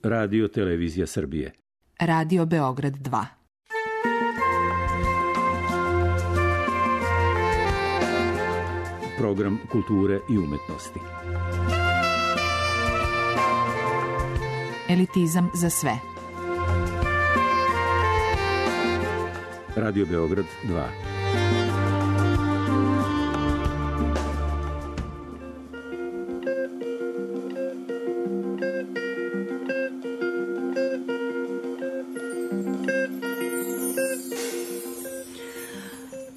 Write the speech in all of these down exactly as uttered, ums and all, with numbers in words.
Radio Televizija Srbije. Radio Beograd dva. Program kulture i umetnosti. Elitizam za sve. Radio Beograd dva.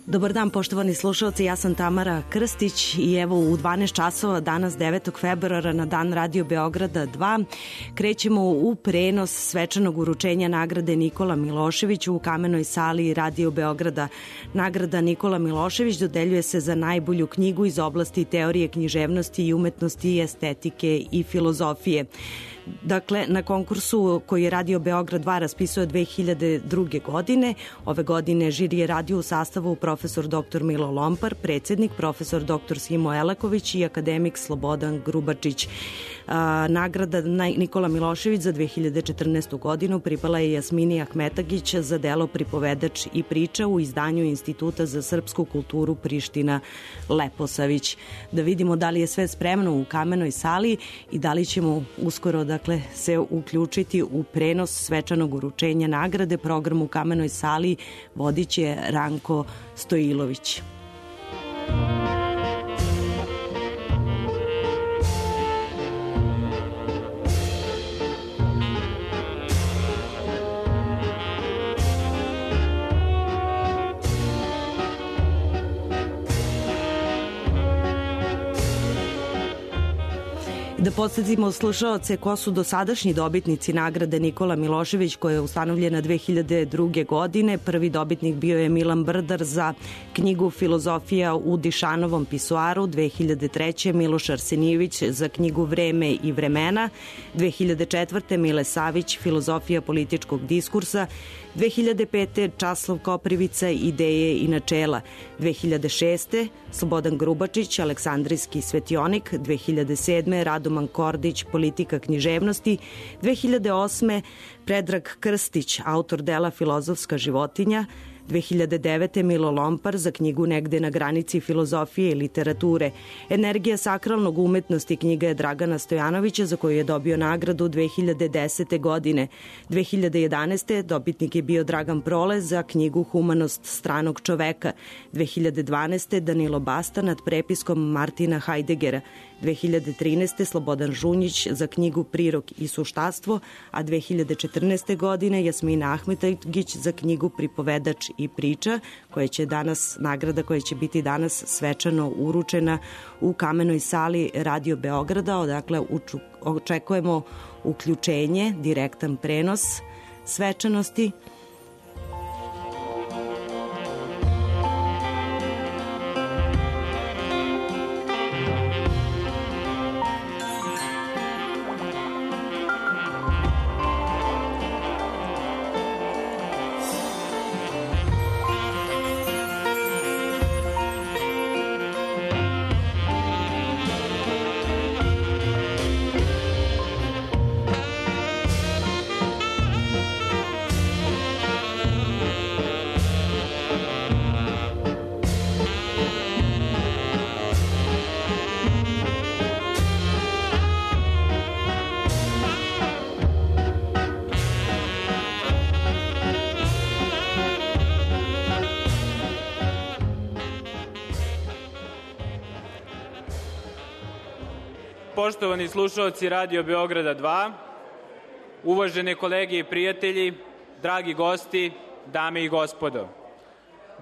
Dobar dan, poštovani slušalci, ja sam Tamara Krstić i evo u dvanaest časova danas devetog februara na dan Radio Beograda dva krećemo u prenos svečanog uručenja nagrade Nikola Milošević u kamenoj sali Radio Beograda. Nagrada Nikola Milošević dodeljuje se za najbolju knjigu iz oblasti teorije književnosti i umetnosti, estetike i filozofije. Dakle, na konkursu koji je Radio Beograd dva raspisao dve hiljade druge. godine, ove godine žiri je radio u sastavu profesor doktor Milo Lompar, predsednik profesor doktor Simo Elaković i akademik Slobodan Grubačić. A, nagrada Nikola Milošević za dve hiljade četrnaestu. godinu pripala je Jasmini Ahmetagić za delo Pripovedač i priča u izdanju Instituta za srpsku kulturu Priština Leposavić. Da vidimo da li je sve spremno u kamenoj sali i da li ćemo uskoro dakle se uključiti u prenos svečanog uručenja nagrade. Program u kamenoj sali vodit će Ranko Stojilović. Da podsjetimo slušaoce ko su dosadašnji dobitnici nagrade Nikola Milošević koja je ustanovljena dve hiljade druge. godine. Prvi dobitnik bio je Milan Brdar za knjigu Filozofija u Dišanovom pisoaru, dve hiljade treće. Miloš Arsenijević za knjigu Vreme i vremena, dve hiljade četvrte. Mile Savić, Filozofija političkog diskursa, dve hiljade pete. Časlav Koprivica, Ideje i načela, dve hiljade šeste. Slobodan Grubačić, Aleksandrijski svetionik, dve hiljade sedme. Radoman Kordić, Politika književnosti, dve hiljade osme. Predrag Krstić, autor dela Filozofska životinja, dve hiljade devete. Milo Lompar za knjigu Negde na granici filozofije i literature. Energija sakralnog umetnosti knjiga je Dragana Stojanovića za koju je dobio nagradu dve hiljade desete. godine. dve hiljade jedanaeste. dobitnik je bio Dragan Prole za knjigu Humanost stranog čoveka. dve hiljade dvanaeste. Danilo Basta nad prepiskom Martina Hajdeggera. dve hiljade trinaeste. Slobodan Žunjić za knjigu Prirok i suštastvo, a dve hiljade četrnaeste. godine Jasmina Ahmetagić za knjigu Pripovedač i priča, koja će danas, nagrada koja će biti danas svečano uručena u kamenoj sali Radio Beograda. Odakle očekujemo uključenje, direktan prenos svečanosti. Poštovani slušalci Radio Beograda dva, uvažene kolege i prijatelji, dragi gosti, dame i gospodo.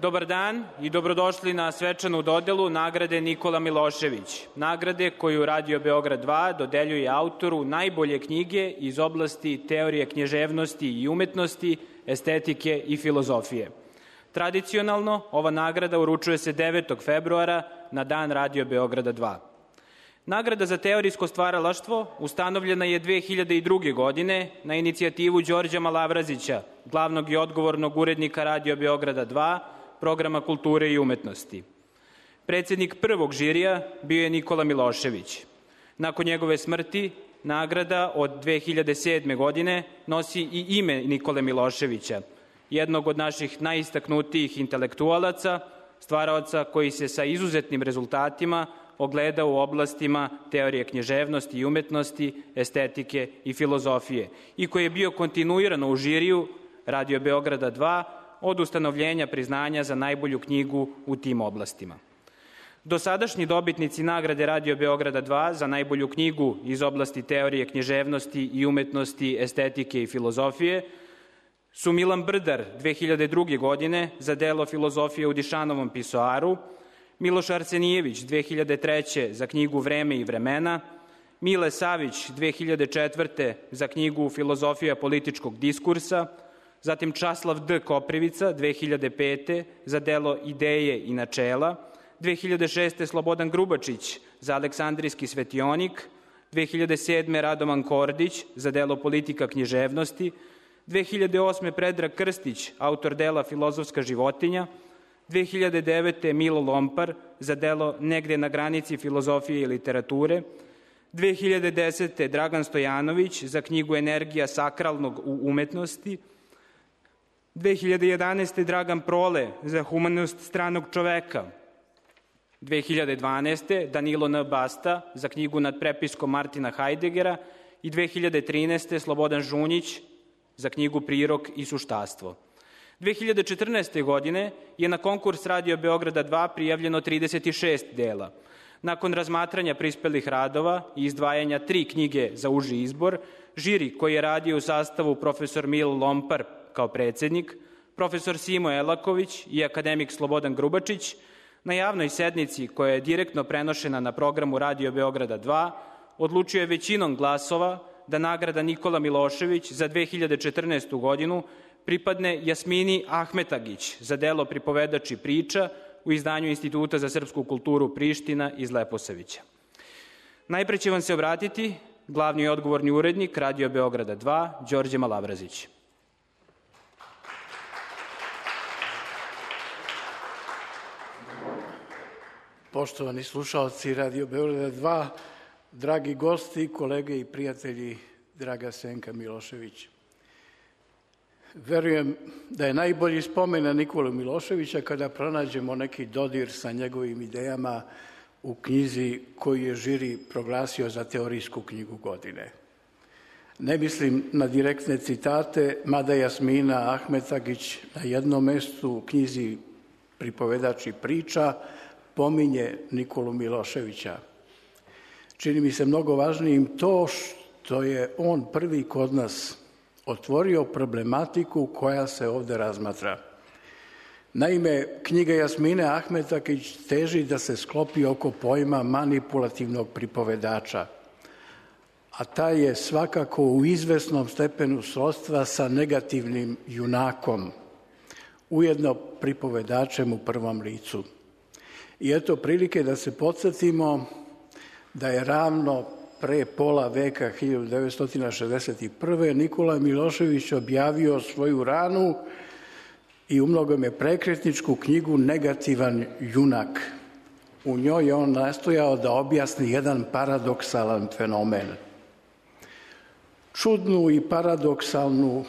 Dobar dan i dobrodošli na svečanu dodelu nagrade Nikola Milošević, nagrade koju Radio Beograd dva dodeljuje autoru najbolje knjige iz oblasti teorije književnosti i umetnosti, estetike i filozofije. Tradicionalno, ova nagrada uručuje se devetog februara na dan Radio Beograda dva. Nagrada za teorijsko stvaralaštvo ustanovljena je dve hiljade druge. godine na inicijativu Đorđa Malavrazića, glavnog i odgovornog urednika Radio Beograda dva, programa kulture i umetnosti. Predsednik prvog žirija bio je Nikola Milošević. Nakon njegove smrti, nagrada od dve hiljade sedme. godine nosi i ime Nikole Miloševića, jednog od naših najistaknutijih intelektualaca, stvaraoca koji se sa izuzetnim rezultatima ogleda u oblastima teorije književnosti i umetnosti, estetike i filozofije i koji je bio kontinuirano u žiriju Radio Beograda dva od ustanovljenja priznanja za najbolju knjigu u tim oblastima. Dosadašnji dobitnici nagrade Radio Beograda dva za najbolju knjigu iz oblasti teorije književnosti i umetnosti, estetike i filozofije su Milan Brdar dve hiljade druge. godine za delo Filozofije u Dišanovom pisoaru, Miloš Arsenijević dve hiljade treće. za knjigu Vreme i vremena, Mile Savić dve hiljade četvrte. za knjigu Filozofija političkog diskursa, zatim Časlav D. Koprivica dve hiljade pete. za delo Ideje i načela, dve hiljade šeste. Slobodan Grubačić za Aleksandrijski svetionik, dve hiljade sedme. Radovan Kordić za delo Politika književnosti, dve hiljade osme. Predrag Krstić, autor dela Filozofska životinja, dve hiljade devete. Milo Lompar za delo Negde na granici filozofije i literature, dve hiljade desete. Dragan Stojanović za knjigu Energija sakralnog u umetnosti, dve hiljade jedanaeste. Dragan Prole za Humanost stranog čoveka, dve hiljade dvanaeste. Danilo N. Basta za knjigu Nad prepiskom Martina Hajdigera i dve hiljade trinaeste. Slobodan Žunjić za knjigu Prirok i suštastvo. dve hiljade četrnaeste. godine je na konkurs Radio Beograda dva prijavljeno trideset šest dela. Nakon razmatranja prispelih radova i izdvajanja tri knjige za uži izbor, žiri koji je radio u sastavu profesor Mil Lompar kao predsednik, profesor Simo Elaković i akademik Slobodan Grubačić, na javnoj sednici koja je direktno prenošena na programu Radio Beograda dva, odlučio je većinom glasova da nagrada Nikola Milošević za dve hiljade četrnaestu. godinu pripadne Jasmini Ahmetagić za delo Pripovedač i priča u izdanju Instituta za srpsku kulturu Priština iz Leposavića. Najpre će vam se obratiti glavni i odgovorni urednik Radio Beograda dva, Đorđe Malavrazić. Poštovani slušalci Radio Beograda dva, dragi gosti, kolege i prijatelji, draga Senka Milošević. Verujem da je najbolji spomen na Nikolu Miloševića kada pronađemo neki dodir sa njegovim idejama u knjizi koju je žiri proglasio za teorijsku knjigu godine. Ne mislim na direktne citate, mada Jasmina Ahmetagić na jednom mestu u knjizi Pripovedač i priča pominje Nikolu Miloševića. Čini mi se mnogo važnijim to što je on prvi kod nas otvorio problematiku koja se ovde razmatra. Naime, knjiga Jasmine Ahmetagić teži da se sklopi oko pojma manipulativnog pripovedača, a taj je svakako u izvesnom stepenu srodstva sa negativnim junakom, ujedno pripovedačem u prvom licu. I eto prilike da se podsjetimo da je ravno pre pola veka, hiljadu devetsto šezdeset prve. Nikola Milošević objavio svoju ranu i umnogome prekretničku knjigu Negativan junak. U njoj je on nastojao da objasni jedan paradoksalan fenomen. Čudnu i paradoksalnu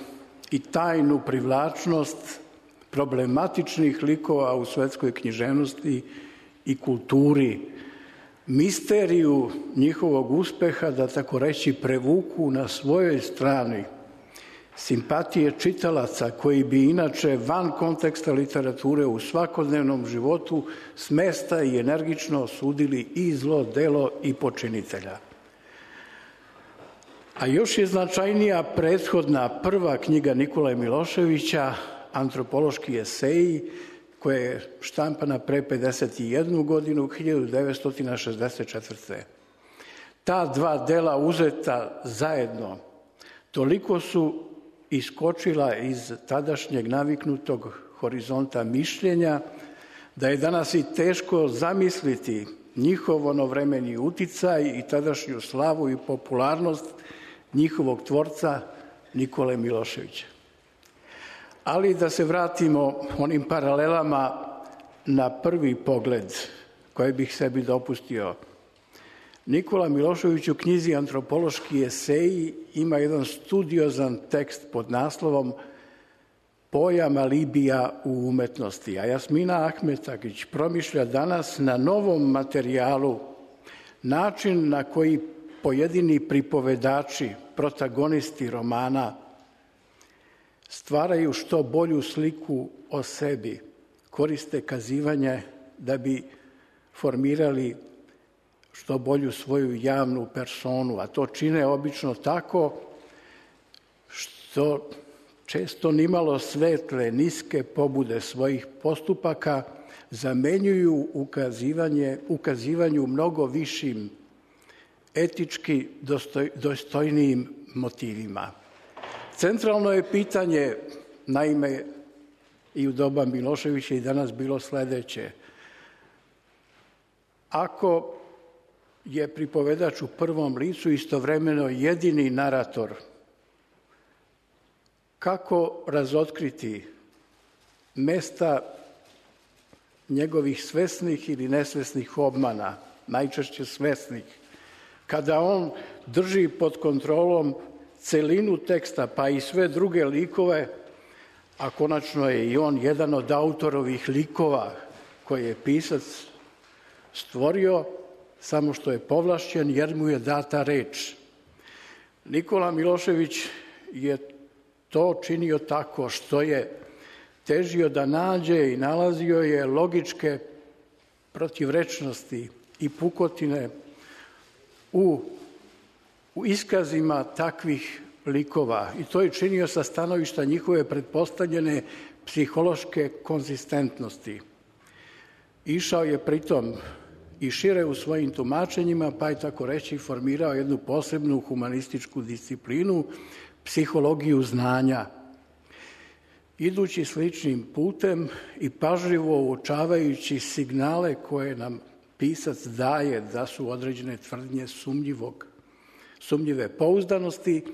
i tajnu privlačnost problematičnih likova u svetskoj književnosti i kulturi, misteriju njihovog uspeha, da tako reći, prevuku na svojoj strani simpatije čitalaca koji bi inače van konteksta literature u svakodnevnom životu smesta i energično osudili i zlo delo i počinitelja. A još je značajnija prethodna prva knjiga Nikole Miloševića, Antropološki eseji, koja je štampana pre pedeset jednu godinu, hiljadu devetsto šezdeset četvrte. Ta dva dela uzeta zajedno toliko su iskočila iz tadašnjeg naviknutog horizonta mišljenja da je danas i teško zamisliti njihov onovremeni uticaj i tadašnju slavu i popularnost njihovog tvorca Nikole Miloševića. Ali da se vratimo onim paralelama na prvi pogled koje bih sebi dopustio. Nikola Milošević u knjizi Antropološki eseji ima jedan studiozan tekst pod naslovom Pojam alibija u umetnosti, a Jasmina Ahmetagić promišlja danas na novom materijalu način na koji pojedini pripovedači, protagonisti romana stvaraju što bolju sliku o sebi, koriste kazivanje da bi formirali što bolju svoju javnu personu, a to čine obično tako što često nimalo svetle, niske pobude svojih postupaka zamenjuju ukazivanje, ukazivanju mnogo višim, etički dostoj, dostojnijim motivima. Centralno je pitanje, naime, i u doba Miloševića i danas bilo sledeće. Ako je pripovedač u prvom licu istovremeno jedini narator, kako razotkriti mesta njegovih svesnih ili nesvesnih obmana, najčešće svesnih, kada on drži pod kontrolom celinu teksta, pa i sve druge likove, a konačno je i on jedan od autorovih likova koje je pisac stvorio, samo što je povlašćen jer mu je data reč. Nikola Milošević je to činio tako što je težio da nađe i nalazio je logičke protivrečnosti i pukotine u, u iskazima takvih likova. I to je činio sa stanovišta njihove pretpostavljene psihološke konzistentnosti. Išao je pritom i šire u svojim tumačenjima, pa je tako reći formirao jednu posebnu humanističku disciplinu, psihologiju znanja. Idući sličnim putem i pažljivo uočavajući signale koje nam pisac daje da su određene tvrdnje sumnjivog, sumnjive pouzdanosti,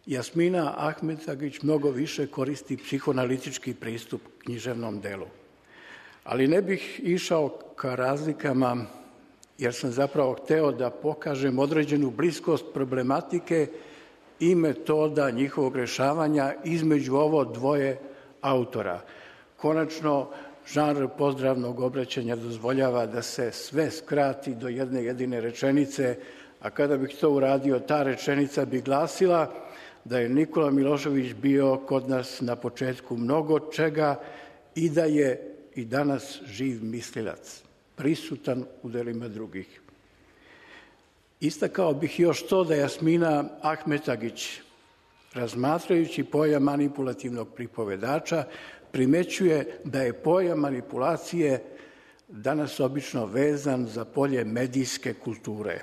Jasmina Ahmetagić mnogo više koristi psihoanalitički pristup književnom delu. Ali ne bih išao ka razlikama, jer sam zapravo hteo da pokažem određenu bliskost problematike i metoda njihovog rešavanja između ovo dvoje autora. Konačno, žanr pozdravnog obraćanja dozvoljava da se sve skrati do jedne jedine rečenice, a kada bih to uradio, ta rečenica bi glasila da je Nikola Milošević bio kod nas na početku mnogo čega i da je i danas živ mislilac, prisutan u delima drugih. Istakao bih još to da Jasmina Ahmetagić, razmatrajući pojam manipulativnog pripovedača, primećuje da je pojam manipulacije danas obično vezan za polje medijske kulture.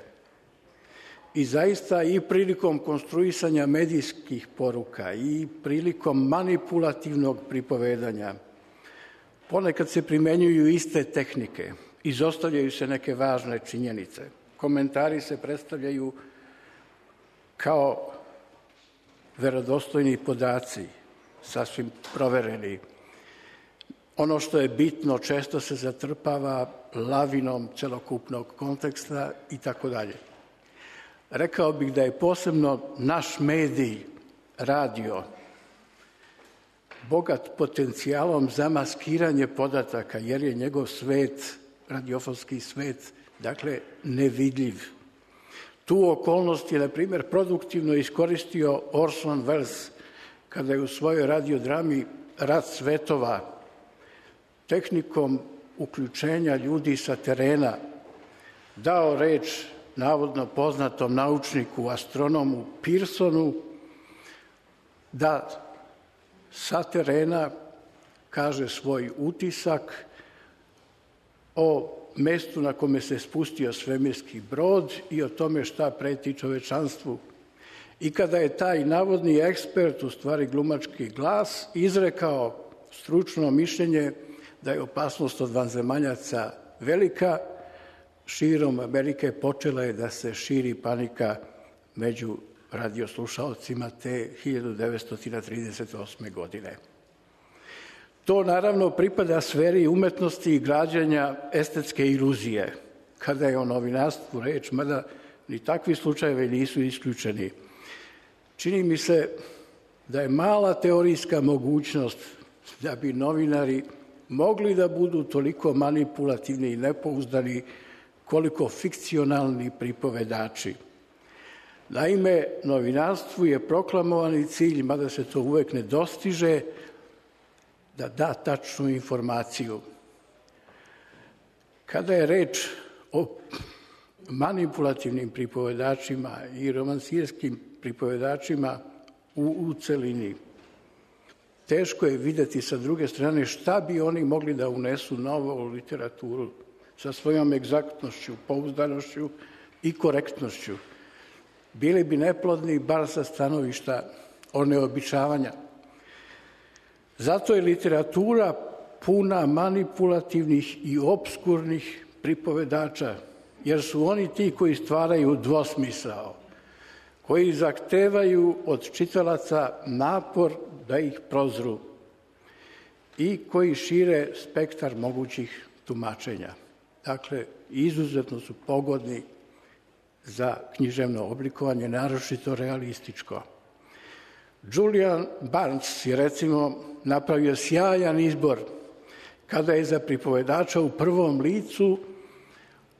I zaista i prilikom konstruisanja medijskih poruka i prilikom manipulativnog pripovedanja ponekad se primenjuju iste tehnike, izostavljaju se neke važne činjenice. Komentari se predstavljaju kao verodostojni podaci, sasvim provereni. Ono što je bitno često se zatrpava lavinom celokupnog konteksta i tako dalje. Rekao bih da je posebno naš medij, radio, bogat potencijalom za maskiranje podataka, jer je njegov svet, radiofonski svet, dakle, nevidljiv. Tu okolnost je, na primjer, produktivno iskoristio Orson Welles kada je u svojoj radiodrami Rat svetova tehnikom uključenja ljudi sa terena dao reč navodno poznatom naučniku, astronomu Pearsonu, da sa terena kaže svoj utisak o mestu na kome se spustio svemirski brod i o tome šta preti čovečanstvu. I kada je taj navodni ekspert, u stvari glumački glas, izrekao stručno mišljenje da je opasnost od vanzemaljaca velika, širom Amerike počela je da se širi panika među radioslušaocima te hiljadu devetsto trideset osme. godine. To naravno pripada sferi umetnosti i građanja estetske iluzije. kada je o novinarstvu reč, mada ni takvi slučajevi nisu isključeni. Čini mi se da je mala teorijska mogućnost da bi novinari mogli da budu toliko manipulativni i nepouzdani koliko fikcionalni pripovedači. Naime, novinarstvu je proklamovani cilj, mada se to uvek ne dostiže, da da tačnu informaciju. Kada je reč o manipulativnim pripovedačima i romansirskim pripovedačima u, u celini, teško je videti sa druge strane šta bi oni mogli da unesu novo u literaturu sa svojom egzaktnošću, pouzdanošću i korektnošću. Bili bi neplodni bar sa stanovišta oneobičavanja. Zato je literatura puna manipulativnih i opskurnih pripovedača, jer su oni ti koji stvaraju dvosmisao, koji zahtevaju od čitalaca napor da ih prozru i koji šire spektar mogućih tumačenja. Dakle, izuzetno su pogodni za književno oblikovanje, naročito realističko. Julian Barnes je recimo napravio sjajan izbor kada je za pripovedača u prvom licu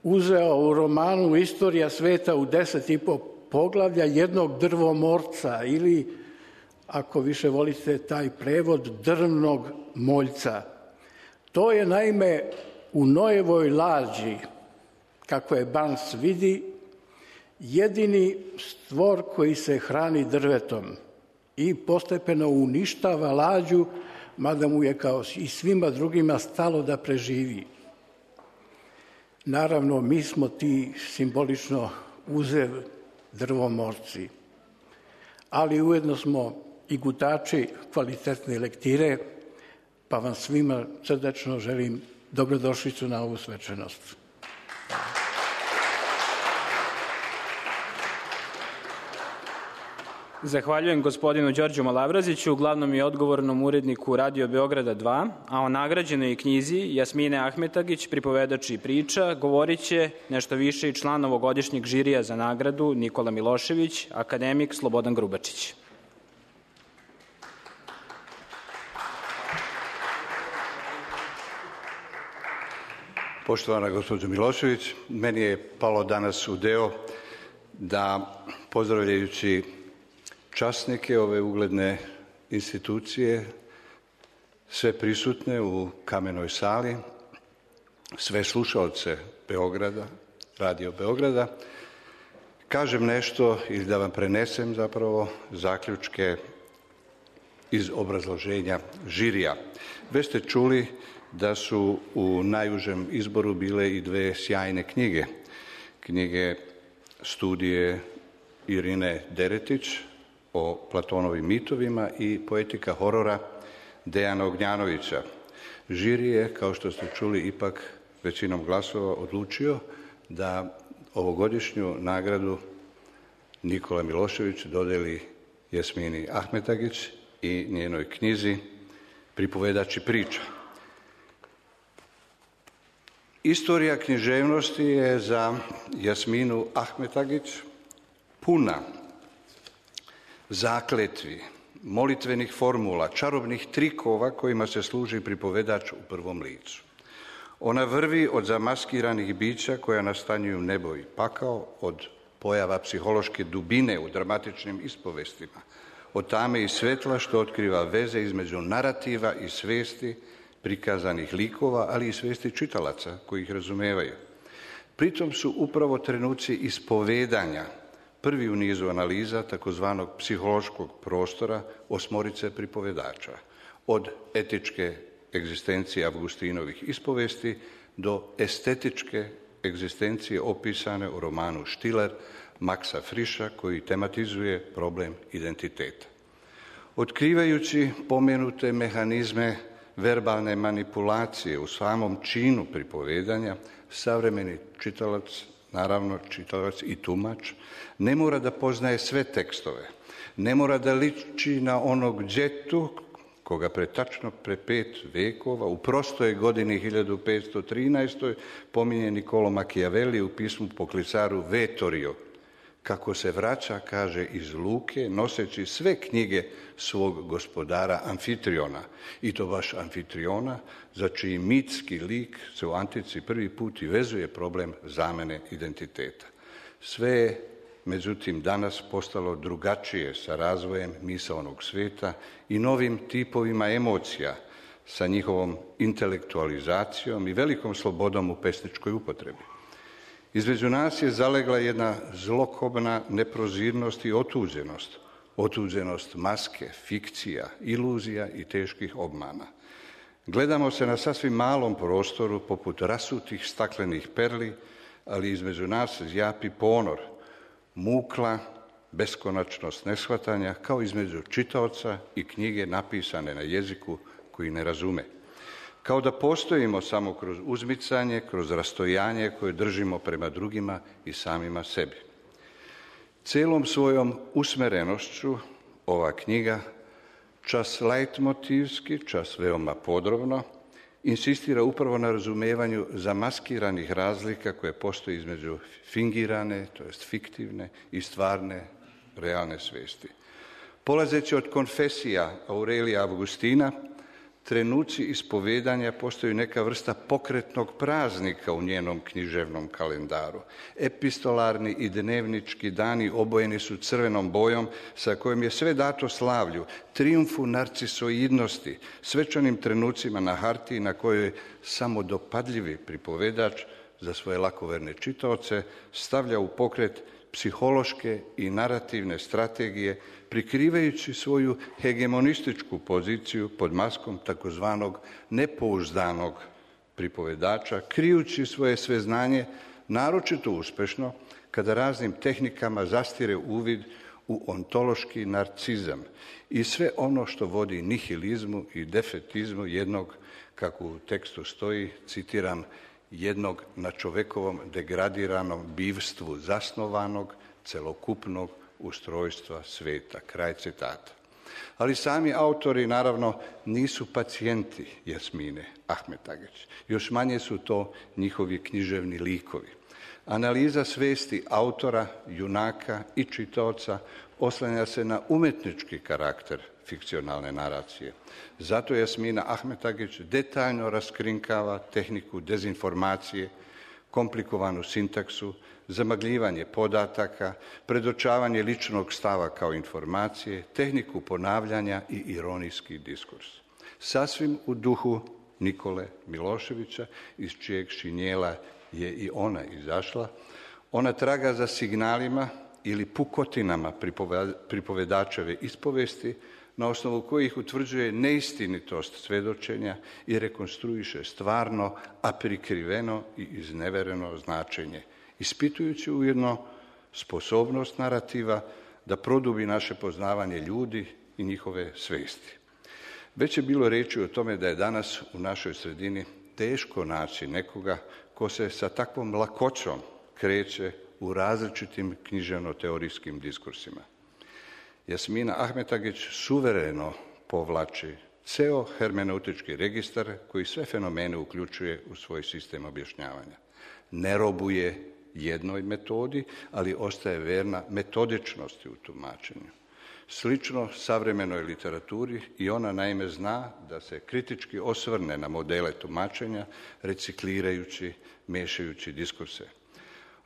uzeo u romanu Istorija sveta u deset i po poglavlja jednog drvomorca ili, ako više volite taj prevod, drvnog moljca. To je naime u Noevoj lađi, kako je Barnes vidi, jedini stvor koji se hrani drvetom i postepeno uništava lađu, mada mu je kao i svima drugima stalo da preživi. Naravno, mi smo ti simbolično uzev drvomorci, ali ujedno smo i gutači kvalitetne lektire, pa vam svima srdačno želim dobrodošlicu na ovu svečanost. Zahvaljujem gospodinu Đorđu Malavraziću, glavnom i odgovornom uredniku Radio Beograda dva, a o nagrađenoj knjizi Jasmine Ahmetagić, pripovedač i priča, govorit će nešto više i član ovogodišnjeg žirija za nagradu Nikola Milošević, akademik Slobodan Grubačić. Poštovana gospođo Milošević, meni je palo danas u deo da, pozdravljajući časnike ove ugledne institucije, sve prisutne u Kamenoj sali, sve slušaoce Beograda, Radio Beograda, kažem nešto ili da vam prenesem zapravo zaključke iz obrazloženja žirija. Već ste čuli da su u najužem izboru bile i dve sjajne knjige. Knjige studije Irine Deretić o Platonovim mitovima i poetika horora Dejana Ognjanovića. Žiri je, kao što ste čuli, ipak većinom glasova odlučio da ovogodišnju nagradu Nikola Milošević dodeli Jasmini Ahmetagić i njenoj knjizi Pripovedač i priča. Istorija književnosti je za Jasminu Ahmetagić puna zakletvi, molitvenih formula, čarobnih trikova kojima se služi pripovedač u prvom licu. Ona vrvi od zamaskiranih bića koja nastanjuju nebo i pakao, od pojava psihološke dubine u dramatičnim ispovestima, od tame i svetla što otkriva veze između narativa i svesti prikazanih likova, ali i svesti čitalaca koji ih razumevaju. Pritom su upravo trenuci ispovedanja prvi u nizu analiza takozvanog psihološkog prostora osmorice pripovedača, od etičke egzistencije Avgustinovih ispovesti do estetičke egzistencije opisane u romanu Štiler Maxa Friša, koji tematizuje problem identiteta. Otkrivajući pomenute mehanizme verbalne manipulacije u samom činu pripovedanja, savremeni čitalac, naravno čitalac i tumač, ne mora da poznaje sve tekstove, ne mora da liči na onog đetu koga pre tačno pre pet vekova, u prostoj godini hiljadu petsto trinaestoj pominje Niccolo Machiavelli u pismu Poklicaru Vetorio, kako se vraća, kaže, iz luke, noseći sve knjige svog gospodara Amfitriona. I to baš Amfitriona, za čiji mitski lik se u antici prvi put i vezuje problem zamene identiteta. Sve je, međutim, danas postalo drugačije sa razvojem misaonog sveta i novim tipovima emocija, sa njihovom intelektualizacijom i velikom slobodom u pesničkoj upotrebi. Između nas je zalegla jedna zlokobna neprozirnost i otuđenost. Otuđenost maske, fikcija, iluzija i teških obmana. Gledamo se na sasvim malom prostoru poput rasutih staklenih perli, ali između nas zjapi ponor, mukla, beskonačnost neshvatanja, kao između čitaoca i knjige napisane na jeziku koji ne razume. Kao da postojimo samo kroz uzmicanje, kroz rastojanje koje držimo prema drugima i samima sebi. Celom svojom usmerenošću ova knjiga, čas leitmotivski, čas veoma podrobno, insistira upravo na razumevanju zamaskiranih razlika koje postoje između fingirane, to jest fiktivne, i stvarne, realne svesti. Polazeći od konfesija Aurelija Avgustina, trenuci ispovedanja postaju neka vrsta pokretnog praznika u njenom književnom kalendaru. Epistolarni i dnevnički dani obojeni su crvenom bojom sa kojom je sve dato slavlju, trijumfu narcisoidnosti, svečanim trenucima na hartiji na kojoj je samodopadljivi pripovedač za svoje lakoverne čitaoce stavlja u pokret psihološke i narativne strategije, prikrivajući svoju hegemonističku poziciju pod maskom takozvanog nepouzdanog pripovedača, krijući svoje sveznanje naročito uspešno kada raznim tehnikama zastire uvid u ontološki narcizam i sve ono što vodi nihilizmu i defetizmu jednog, kako u tekstu stoji, citiram, jednog na čovekovom degradiranom bivstvu zasnovanog, celokupnog ustrojstva sveta. Kraj citata. Ali sami autori, naravno, nisu pacijenti Jasmine Ahmetagić. Još manje su to njihovi književni likovi. Analiza svesti autora, junaka i čitaoca oslanja se na umetnički karakter fikcionalne naracije. Zato Jasmina Ahmetagić detaljno raskrinkava tehniku dezinformacije, komplikovanu sintaksu, zamagljivanje podataka, predočavanje ličnog stava kao informacije, tehniku ponavljanja i ironijski diskurs. Sasvim u duhu Nikole Miloševića, iz čijeg šinjela je i ona izašla, ona traga za signalima ili pukotinama pripovedačeve ispovesti, na osnovu kojih utvrđuje neistinitost svedočenja i rekonstruiše stvarno, a prikriveno i iznevereno značenje, ispitujući ujedno sposobnost narativa da produbi naše poznavanje ljudi i njihove svesti. Već je bilo reči o tome da je danas u našoj sredini teško naći nekoga ko se sa takvom lakoćom kreće u različitim književno-teorijskim diskursima. Jasmina Ahmetagić suvereno povlači ceo hermeneutički registar koji sve fenomene uključuje u svoj sistem objašnjavanja. Ne robuje jednoj metodi, ali ostaje verna metodičnosti u tumačenju. Slično savremenoj literaturi i ona naime zna da se kritički osvrne na modele tumačenja, reciklirajući, mešajući diskurse.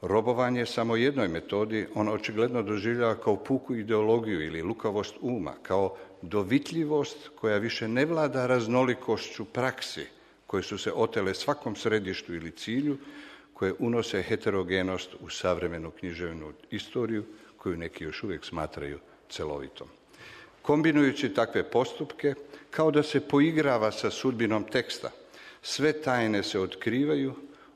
Robovanje samo jednoj metodi on očigledno doživljava kao puku ideologiju ili lukavost uma, kao dovitljivost koja više ne vlada raznolikošću praksi, koje su se otele svakom središtu ili cilju, koje unose heterogenost u savremenu književnu istoriju, koju neki još uvijek smatraju celovitom. Kombinujući takve postupke, kao da se poigrava sa sudbinom teksta, sve tajne se otkrivaju,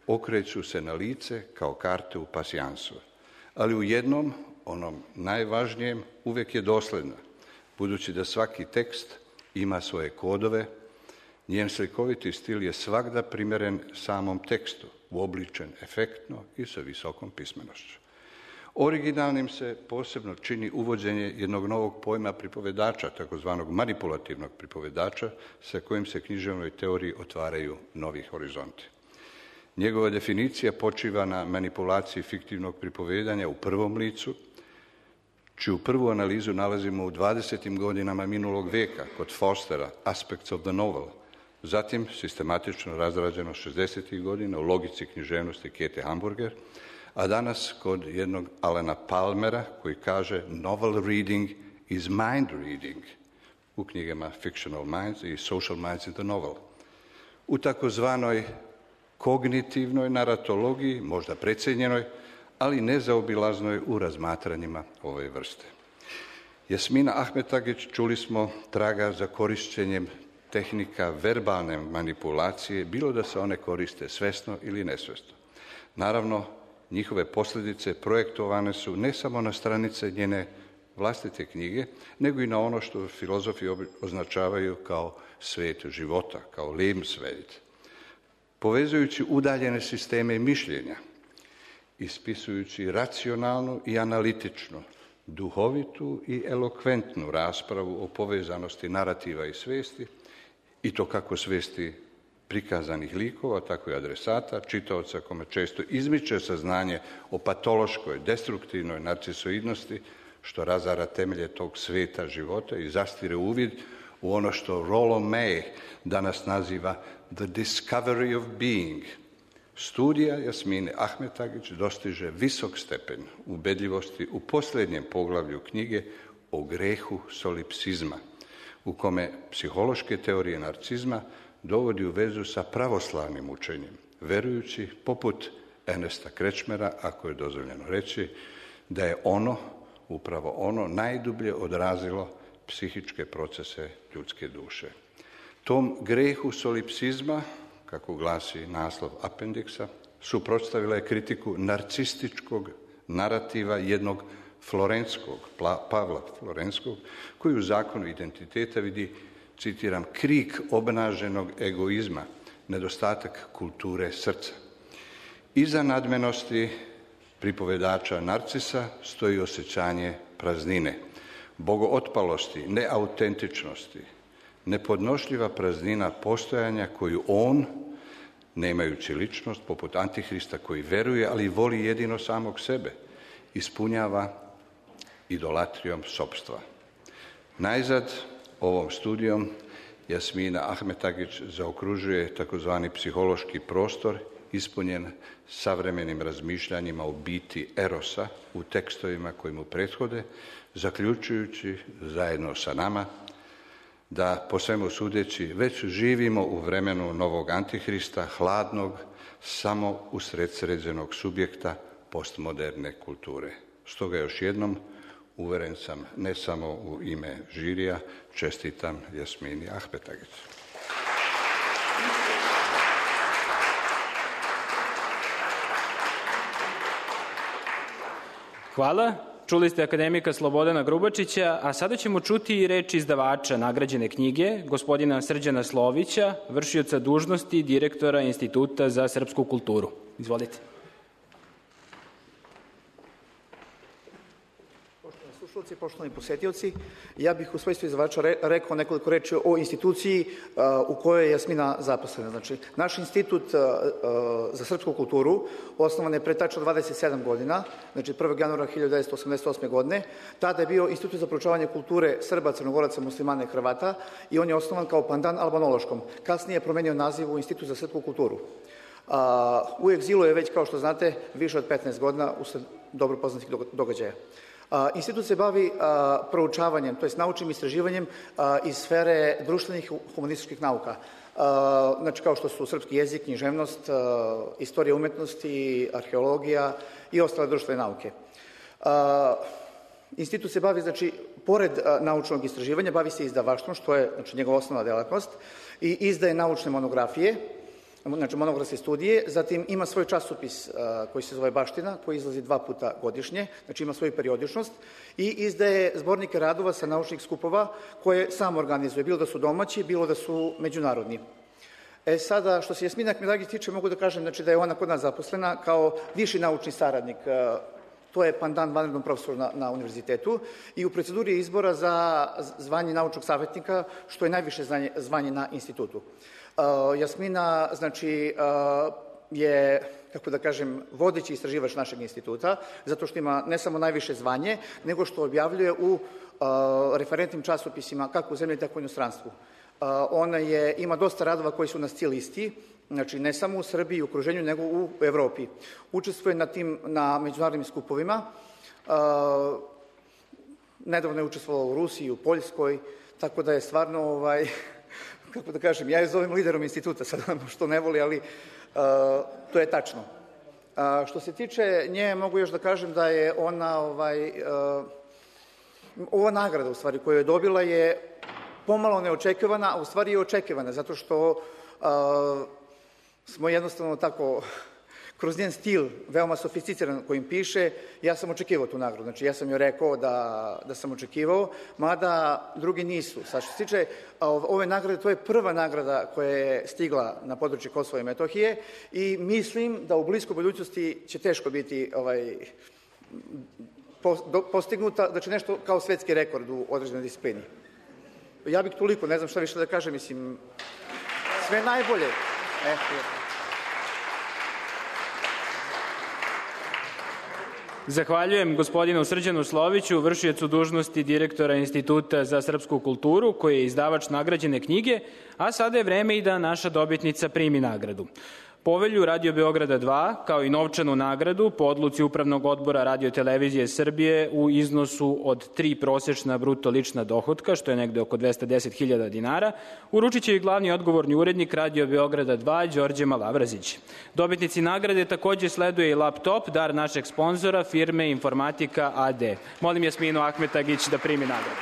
okreću se na lice kao karte u pasjansu. Ali u jednom, onom najvažnijem, uvijek je dosljedna, budući da svaki tekst ima svoje kodove, njen slikoviti stil je svagda primjeren samom tekstu, uobličen efektno i sa visokom pismenošću. Originalnim se posebno čini uvođenje jednog novog pojma pripovedača, takozvanog manipulativnog pripovedača, sa kojim se književnoj teoriji otvaraju novi horizonti. Njegova definicija počiva na manipulaciji fiktivnog pripovedanja u prvom licu, čiju prvu analizu nalazimo u dvadesetim godinama minulog veka kod Forstera, Aspects of the Novel, zatim sistematično razrađeno šezdesetih godina u logici književnosti Kete Hamburger, a danas kod jednog Alana Palmera koji kaže novel reading is mind reading u knjigama Fictional Minds i Social Minds in the Novel. U takozvanoj kognitivnoj naratologiji, možda precijenjenoj, ali nezaobilaznoj u razmatranjima ove vrste. Jasmina Ahmetagić, čuli smo, traga za korišćenjem tehnika verbalne manipulacije, bilo da se one koriste svesno ili nesvesno. Naravno, njihove posljedice projektovane su ne samo na stranice njene vlastite knjige, nego i na ono što filozofi označavaju kao svijet života, kao Lebenswelt. Povezujući udaljene sisteme mišljenja, ispisujući racionalnu i analitičnu, duhovitu i elokventnu raspravu o povezanosti narativa i svijesti, i to kako svijesti prikazanih likova, tako i adresata, čitaoca kome često izmiče saznanje o patološkoj, destruktivnoj narcisoidnosti, što razara temelje tog svijeta života i zastire uvid u ono što Rollo May danas naziva the discovery of being. Studija Jasmine Ahmetagić dostiže visok stepen ubedljivosti u posljednjem poglavlju knjige o grehu solipsizma, u kome psihološke teorije narcizma dovodi u vezu sa pravoslavnim učenjem, verujući, poput Ernesta Kretschmera, ako je dozvoljeno reći, da je ono, upravo ono, najdublje odrazilo psihičke procese ljudske duše. Tom grehu solipsizma, kako glasi naslov apendiksa, suprotstavila je kritiku narcističkog narativa jednog Florenskog, Pavla Florenskog, koji u zakonu identiteta vidi, citiram, krik obnaženog egoizma, nedostatak kulture srca. Iza nadmenosti pripovedača Narcisa stoji osjećanje praznine, bogootpalosti, neautentičnosti, nepodnošljiva praznina postojanja koju on, nemajući ličnost, poput Antihrista koji veruje, ali voli jedino samog sebe, ispunjava idolatrijom sopstva. Najzad, ovom studijom Jasmina Ahmetagić zaokružuje takozvani psihološki prostor ispunjen savremenim razmišljanjima o biti erosa u tekstovima koji mu prethode, zaključujući zajedno sa nama da, po svemu sudeći, već živimo u vremenu novog Antihrista, hladnog, samo usred sređenog subjekta postmoderne kulture. Stoga još jednom, uveren sam, ne samo u ime žirija, čestitam Jasmini Ahmetagić. Hvala. Čuli ste akademika Slobodana Grubačića, a sada ćemo čuti i reč izdavača nagrađene knjige, gospodina Srđana Slovića, vršioca dužnosti direktora Instituta za srpsku kulturu. Izvolite. Slušalci, poštovani posetioci, ja bih u svojstvu izdavača re, rekao nekoliko reči o instituciji uh, u kojoj je Jasmina zaposlena. Znači, naš institut uh, uh, za srpsku kulturu osnovan je pre tačno dvadeset sedam godina, znači prvog januara hiljadu devetsto osamdeset osme. godine. Tada je bio Institut za proučavanje kulture Srba, Crnogoraca, Muslimana i Hrvata i on je osnovan kao pandan albanološkom. Kasnije je promenio naziv u Institut za srpsku kulturu. Uh, u egzilu je već, kao što znate, više od petnaest godina usled dobro poznatih događaja. Uh, institut se bavi uh, proučavanjem, to je naučnim istraživanjem uh, iz sfere društvenih humanističkih nauka. Uh, znači kao što su srpski jezik, književnost, uh, istorija umetnosti, arheologija i ostale društvene nauke. Uh, institut se bavi, znači, pored uh, naučnog istraživanja, bavi se izdavaštvom, što je, znači, njegova osnovna delatnost, i izdaje naučne monografije, znači monografske studije, zatim ima svoj časopis uh, koji se zove Baština, koji izlazi dva puta godišnje, znači ima svoju periodičnost i izdaje zbornike radova sa naučnih skupova koje sam organizuje, bilo da su domaći, bilo da su međunarodni. E sada, što se Jasmina Ahmetagić tiče, mogu da kažem, znači, da je ona kod nas zaposlena kao viši naučni saradnik uh, To je pandan vanrednom profesoru na, na univerzitetu i u proceduri je izbora za zvanje naučnog savjetnika, što je najviše zvanje, zvanje na institutu. Uh, Jasmina, znači, uh, je, kako da kažem, vodeći istraživač našeg instituta, zato što ima ne samo najviše zvanje, nego što objavljuje u uh, referentnim časopisima, kako u zemlji, tako i u inostranstvu. Uh, ona je, ima dosta radova koji su na C listi, znači ne samo u Srbiji i okruženju, nego u Evropi. Učestvuje na tim, na međunarodnim skupovima. Uh, nedavno je učestvovala u Rusiji, u Poljskoj, tako da je stvarno, ovaj, kako da kažem, ja je zovem liderom instituta, sad što ne voli, ali uh, to je tačno. Uh, što se tiče nje, mogu još da kažem da je ona, ovaj, uh, ova nagrada, u stvari, koju je dobila je pomalo neočekivana, a u stvari je očekivana, zato što uh, smo jednostavno tako, kroz njen stil, veoma sofisticiran kojim piše, ja sam očekivao tu nagradu. Znači, ja sam joj rekao da, da sam očekivao, mada drugi nisu. Sad što se tiče ove nagrade, to je prva nagrada koja je stigla na područje Kosova i Metohije i mislim da u bliskoj budućnosti će teško biti ovaj, postignuta, znači nešto kao svetski rekord u određenoj disciplini. Ja bih toliko, ne znam šta više da kažem, mislim, sve najbolje. E, Zahvaljujem gospodinu Srđanu Sloviću, vršiocu dužnosti direktora Instituta za srpsku kulturu, koji je izdavač nagrađene knjige, a sada je vreme i da naša dobitnica primi nagradu. Povelju Radio Beograda dva, kao i novčanu nagradu po odluci Upravnog odbora Radio Televizije Srbije u iznosu od tri prosečna bruto lična dohotka, što je negde oko dvesta deset hiljada dinara, uručit će i glavni odgovorni urednik Radio Beograda dva, Đorđe Malavrazić. Dobitnici nagrade takođe sleduje i laptop, dar našeg sponzora, firme Informatika a d. Molim Jasminu Ahmetagić da primi nagradu.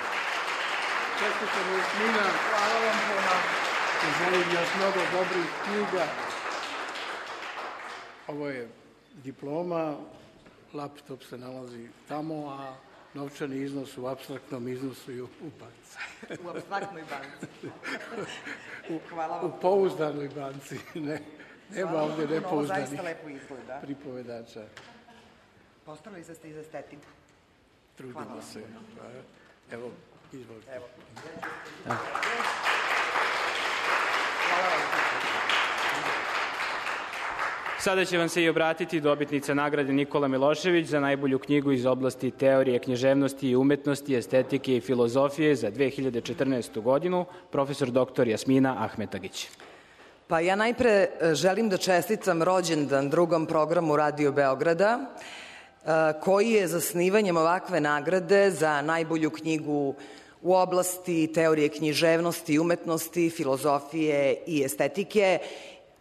Čestitam Jasmina, hvala vam puno. Želim još mnogo dobrih knjiga. Ovo je diploma, laptop se nalazi tamo, a novčani iznos u apstraktnom iznosu i u banci. U apstraktnoj banci. Hvala vam. U pouzdanoj banci. Ne, nema ovdje nepouzdanih zaista lepo izgleda. Pripovedača. Postarali ste i za estetiku. Trudimo se. Evo, izvolite. Evo. Hvala vam. Sada će vam se i obratiti dobitnica nagrade Nikola Milošević za najbolju knjigu iz oblasti teorije književnosti i umetnosti, estetike i filozofije za dve hiljade četrnaestu godinu, profesor doktor Jasmina Ahmetagić. Pa ja najpre želim da čestitam rođendan drugom programu Radio Beograda, koji je zasnivanjem ovakve nagrade za najbolju knjigu u oblasti teorije književnosti i umetnosti, filozofije i estetike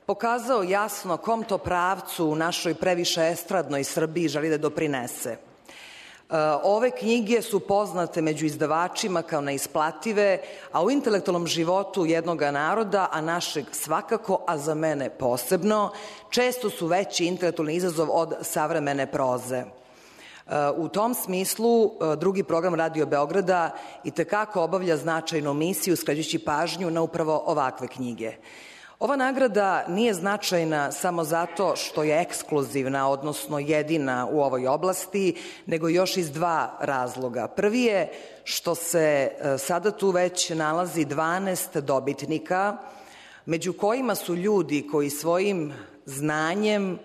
pokazao jasno kom to pravcu u našoj previše estradnoj Srbiji želi da doprinese. Ove knjige su poznate među izdavačima kao neisplative, a u intelektualnom životu jednog naroda, a našeg svakako, a za mene posebno, često su veći intelektualni izazov od savremene proze. U tom smislu, drugi program Radio Beograda itekako obavlja značajnu misiju skrećući pažnju na upravo ovakve knjige. Ova nagrada nije značajna samo zato što je ekskluzivna, odnosno jedina u ovoj oblasti, nego još iz dva razloga. Prvi je što se sada tu već nalazi dvanaest dobitnika, među kojima su ljudi koji svojim znanjem,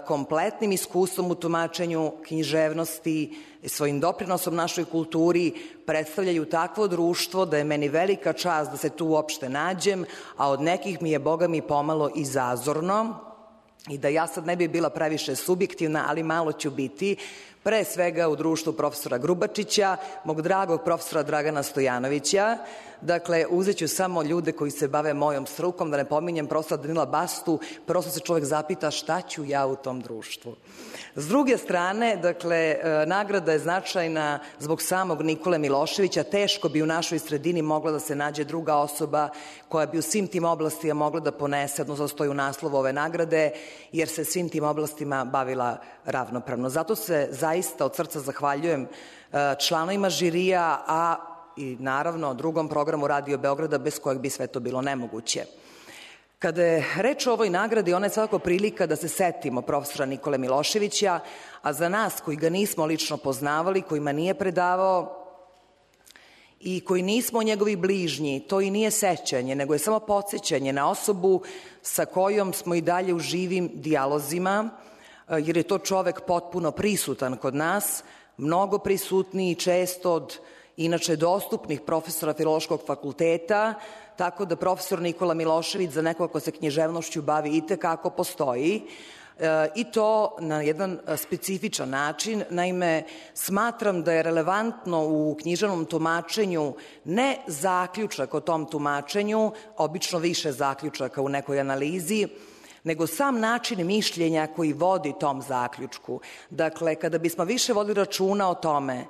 kompletnim iskustvom u tumačenju književnosti i svojim doprinosom našoj kulturi predstavljaju takvo društvo da je meni velika čast da se tu uopšte nađem, a od nekih mi je, Boga mi, pomalo i zazorno i da ja sad ne bi bila previše subjektivna, ali malo ću biti, pre svega u društvu profesora Grubačića, mog dragog profesora Dragana Stojanovića. Dakle, uzet ću samo ljude koji se bave mojom strukom, da ne pominjem profesora Danila Bastu, prosto se čovjek zapita šta ću ja u tom društvu. S druge strane, dakle, nagrada je značajna zbog samog Nikole Miloševića. Teško bi u našoj sredini mogla da se nađe druga osoba koja bi u svim tim oblastima mogla da ponese, odnosno stoji u naslovu ove nagrade, jer se svim tim oblastima bavila ravnopravno. Zato se zaista od srca zahvaljujem članovima žirija, a i naravno drugom programu Radio Beograda bez kojeg bi sve to bilo nemoguće. Kada je reč o ovoj nagradi, ona je svakako prilika da se setimo profesora Nikole Miloševića, a za nas koji ga nismo lično poznavali, kojima nije predavao i koji nismo njegovi bližnji, to i nije sećanje, nego je samo podsjećanje na osobu sa kojom smo i dalje u živim dijalozima, jer je to čovek potpuno prisutan kod nas, mnogo prisutniji i često od inače dostupnih profesora Filološkog fakulteta, tako da profesor Nikola Milošević za nekoga ko se književnošću bavi itekako postoji, i to na jedan specifičan način. Naime, smatram da je relevantno u književnom tumačenju ne zaključak o tom tumačenju, obično više zaključaka u nekoj analizi, nego sam način mišljenja koji vodi tom zaključku. Dakle, kada bismo više vodili računa o tome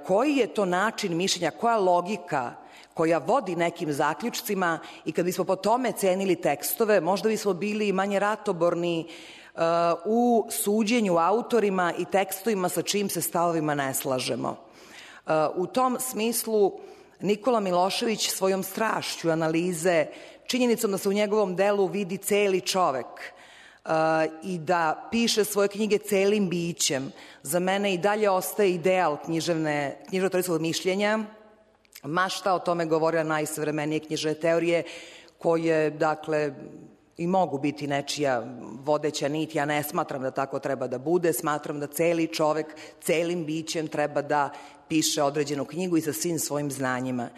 koji je to način mišljenja, koja logika koja vodi nekim zaključcima i kad bismo po tome cenili tekstove, možda bismo bili manje ratoborni uh, u suđenju autorima i tekstovima sa čim se stavovima ne slažemo. Uh, u tom smislu Nikola Milošević svojom strašću analize, činjenicom da se u njegovom delu vidi celi čovek uh, i da piše svoje knjige celim bićem, za mene i dalje ostaje ideal književne, književno-teorijskog mišljenja, ma šta o tome govorila najsavremenije književne teorije, koje, dakle, i mogu biti nečija vodeća nit. Ja ne smatram da tako treba da bude, smatram da celi čovek celim bićem treba da piše određenu knjigu i sa svim svojim znanjima.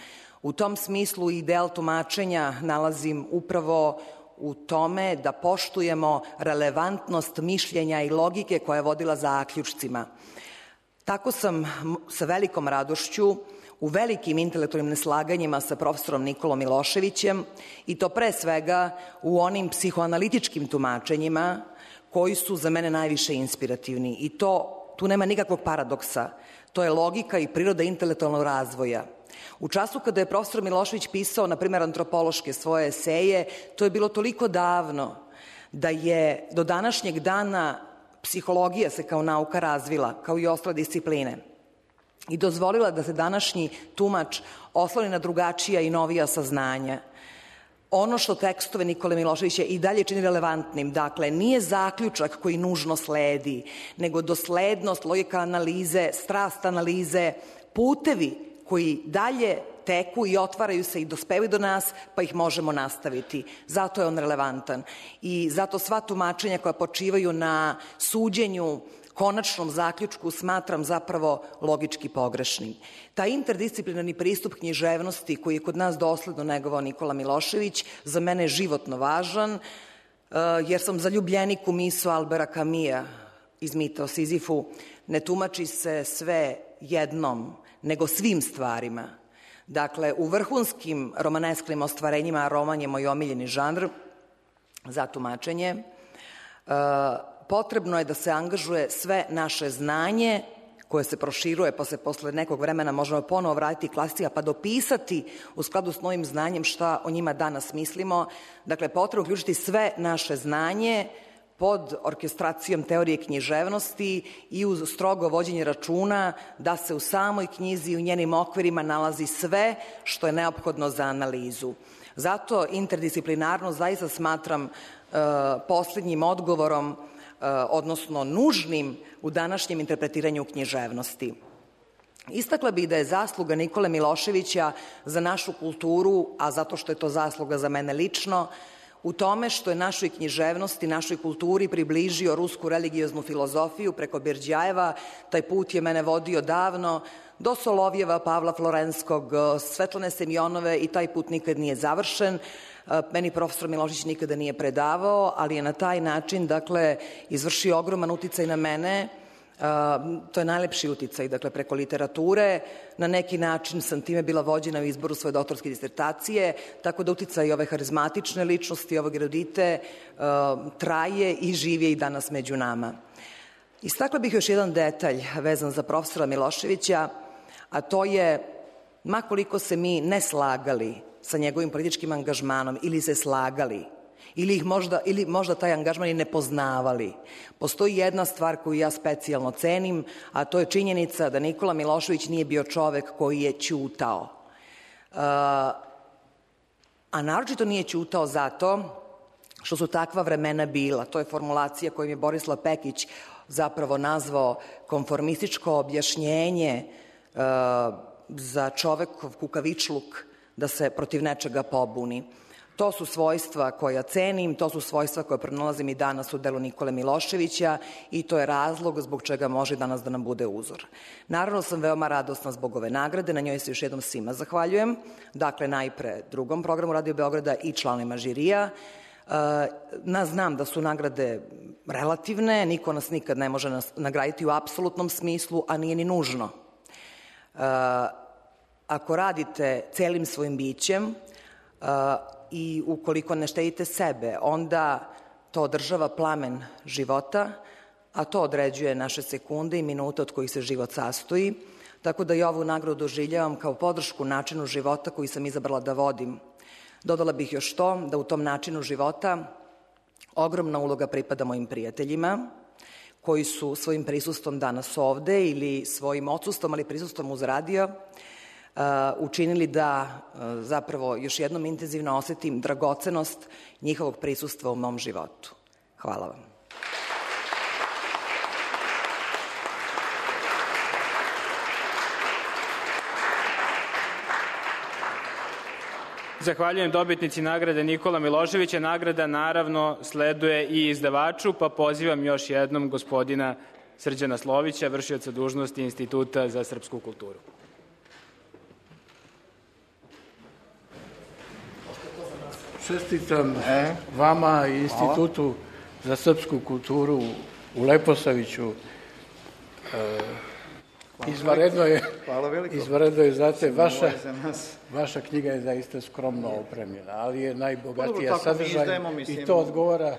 U tom smislu ideal tumačenja nalazim upravo u tome da poštujemo relevantnost mišljenja i logike koja je vodila zaključcima. Tako sam sa velikom radošću u velikim intelektualnim neslaganjima sa profesorom Nikolom Miloševićem, i to pre svega u onim psihoanalitičkim tumačenjima koji su za mene najviše inspirativni. I to, tu nema nikakvog paradoksa. To je logika i priroda intelektualnog razvoja. U času kada je profesor Milošević pisao, na primjer, antropološke svoje eseje, to je bilo toliko davno da je do današnjeg dana psihologija se kao nauka razvila, kao i ostale discipline, i dozvolila da se današnji tumač osloni na drugačija i novija saznanja. Ono što tekstove Nikole Miloševića i dalje čini relevantnim, dakle, nije zaključak koji nužno sledi, nego doslednost, logika analize, strast analize, putevi koji dalje teku i otvaraju se i dospevaju do nas, pa ih možemo nastaviti. Zato je on relevantan. I zato sva tumačenja koja počivaju na suđenju, konačnom zaključku, smatram zapravo logički pogrešnim. Taj interdisciplinarni pristup književnosti koji je kod nas dosledno negovao Nikola Milošević za mene je životno važan, jer sam zaljubljenik u misao Albera Kamija iz Mita o Sizifu. Ne tumači se sve jednom, nego svim stvarima. Dakle, u vrhunskim romanesklim ostvarenjima roman je moj omiljeni žanr za tumačenje. Potrebno je da se angažuje sve naše znanje koje se proširuje, pa se posle nekog vremena možemo ponovo vratiti klasika pa dopisati u skladu s novim znanjem šta o njima danas mislimo. Dakle, potrebno uključiti sve naše znanje pod orkestracijom teorije književnosti i uz strogo vođenje računa da se u samoj knjizi i u njenim okvirima nalazi sve što je neophodno za analizu. Zato interdisciplinarno zaista smatram uh, posljednjim odgovorom, odnosno nužnim u današnjem interpretiranju književnosti. Istakla bih da je zasluga Nikole Miloševića za našu kulturu, a zato što je to zasluga za mene lično, u tome što je našoj književnosti, našoj kulturi približio rusku religioznu filozofiju preko Berdjajeva. Taj put je mene vodio davno do Solovjeva, Pavla Florenskog, Svetlane Semjonove i taj put nikad nije završen. Meni profesor Milošević nikada nije predavao, ali je na taj način, dakle, izvršio ogroman uticaj na mene. To je najlepši uticaj, dakle, preko literature. Na neki način sam time bila vođena u izboru svoje doktorske disertacije, tako da uticaj ove harizmatične ličnosti, ovog erudite, traje i živi i danas među nama. Istakla bih još jedan detalj vezan za profesora Miloševića, a to je, makoliko se mi ne slagali sa njegovim političkim angažmanom ili se slagali, ili, ih možda, ili možda taj angažman i ne poznavali, postoji jedna stvar koju ja specijalno cenim, a to je činjenica da Nikola Milošević nije bio čovek koji je ćutao. Uh, A naročito nije ćutao zato što su takva vremena bila. To je formulacija kojom je Borislav Pekić zapravo nazvao konformističko objašnjenje uh, za čovekov kukavičluk da se protiv nečega pobuni. To su svojstva koja cenim, to su svojstva koje pronalazim i danas u delu Nikole Miloševića i to je razlog zbog čega može danas da nam bude uzor. Naravno sam veoma radosna zbog ove nagrade, na njoj se još jednom svima zahvaljujem. Dakle, najpre drugom programu Radio Beograda i članovima žirija. Na, znam da su nagrade relativne, niko nas nikad ne može nagraditi u apsolutnom smislu, a nije ni nužno. Ako radite celim svojim bićem i ukoliko ne štedite sebe, onda to održava plamen života, a to određuje naše sekunde i minute od kojih se život sastoji, tako da i ovu nagradu doživljavam kao podršku načinu života koji sam izabrala da vodim. Dodala bih još to, da u tom načinu života ogromna uloga pripada mojim prijateljima, koji su svojim prisustvom danas ovde ili svojim odsustvom, ali prisustvom uz radio, učinili da zapravo još jednom intenzivno osetim dragocenost njihovog prisustva u mom životu. Hvala vam. Zahvaljujem dobitnici nagrade Nikola Miloševića. Nagrada naravno sleduje i izdavaču, pa pozivam još jednom gospodina Srđana Slovića, vršioca dužnosti Instituta za srpsku kulturu. Čestitam vama i Institutu za srpsku kulturu u Leposaviću. Izvanredno je, izvanredno je, znate, vaša, vaša knjiga je zaista skromno opremljena, ali je najbogatija sadržaj i to odgovara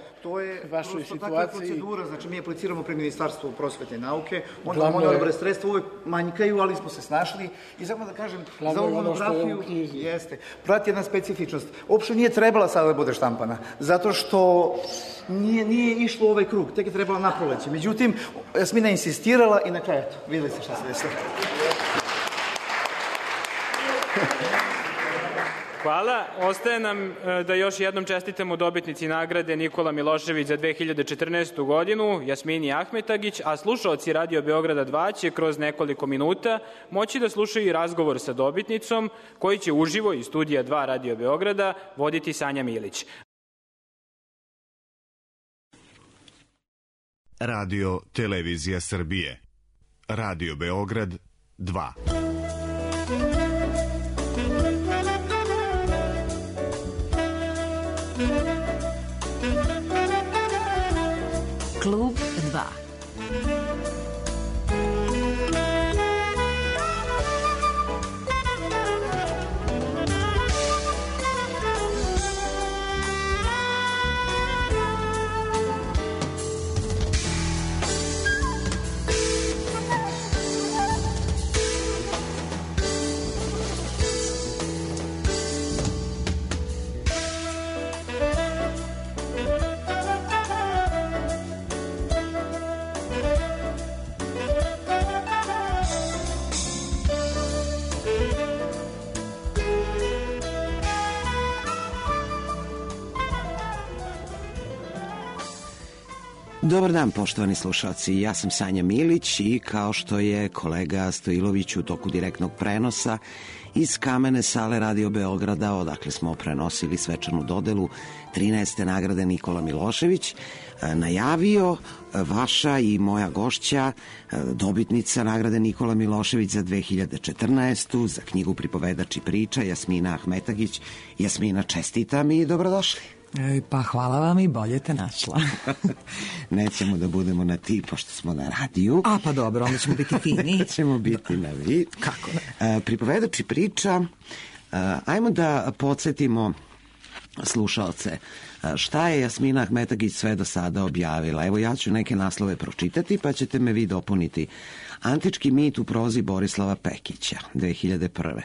vašoj situaciji. Takva je procedura, znači mi apliciramo pri Ministarstvu prosvete i nauke, onda ono dobre sredstva uvek manjkaju, ali smo se snašli i samo da kažem, za ovu monografiju jeste, prati jedna specifičnost. Uopšte nije trebala sada da bude štampana, zato što nije, nije išlo u ovaj krug, tek je trebala na proleće. Međutim, Jasmina je insistirala i na kraju, eto, videli ste šta se desilo. Hvala. Ostaje nam da još jednom čestitamo dobitnici nagrade Nikola Milošević za dve hiljade četrnaestu godinu, Jasmini Ahmetagić, a slušaoci Radio Beograda dva će kroz nekoliko minuta moći da slušaju i razgovor sa dobitnicom koji će uživo iz studija dva Radio Beograda voditi Sanja Milić. Radio Televizija Srbije. Radio Beograd dva. Klub dva. Dobar dan, poštovani slušalci. Ja sam Sanja Milić i kao što je kolega Stojilović u toku direktnog prenosa iz kamene sale Radio Beograda, odakle smo prenosili svečanu dodelu trinaeste nagrade Nikola Milošević, najavio, vaša i moja gošća, dobitnica nagrade Nikola Milošević za dve hiljade četrnaestu za knjigu Pripovedač i priča, Jasmina Ahmetagić. Jasmina, čestitam i dobrodošli. Pa hvala vam i bolje te našla. Nećemo da budemo na ti, pošto smo na radiju. A pa dobro, onda ćemo biti fini. Nećemo biti na vi. Kako ne? Pripovedač i priča. Ajmo da podsjetimo slušalce šta je Jasmina Ahmetagić sve do sada objavila. Evo ja ću neke naslove pročitati, pa ćete me vi dopuniti. Antički mit u prozi Borislava Pekića, dve hiljade prve.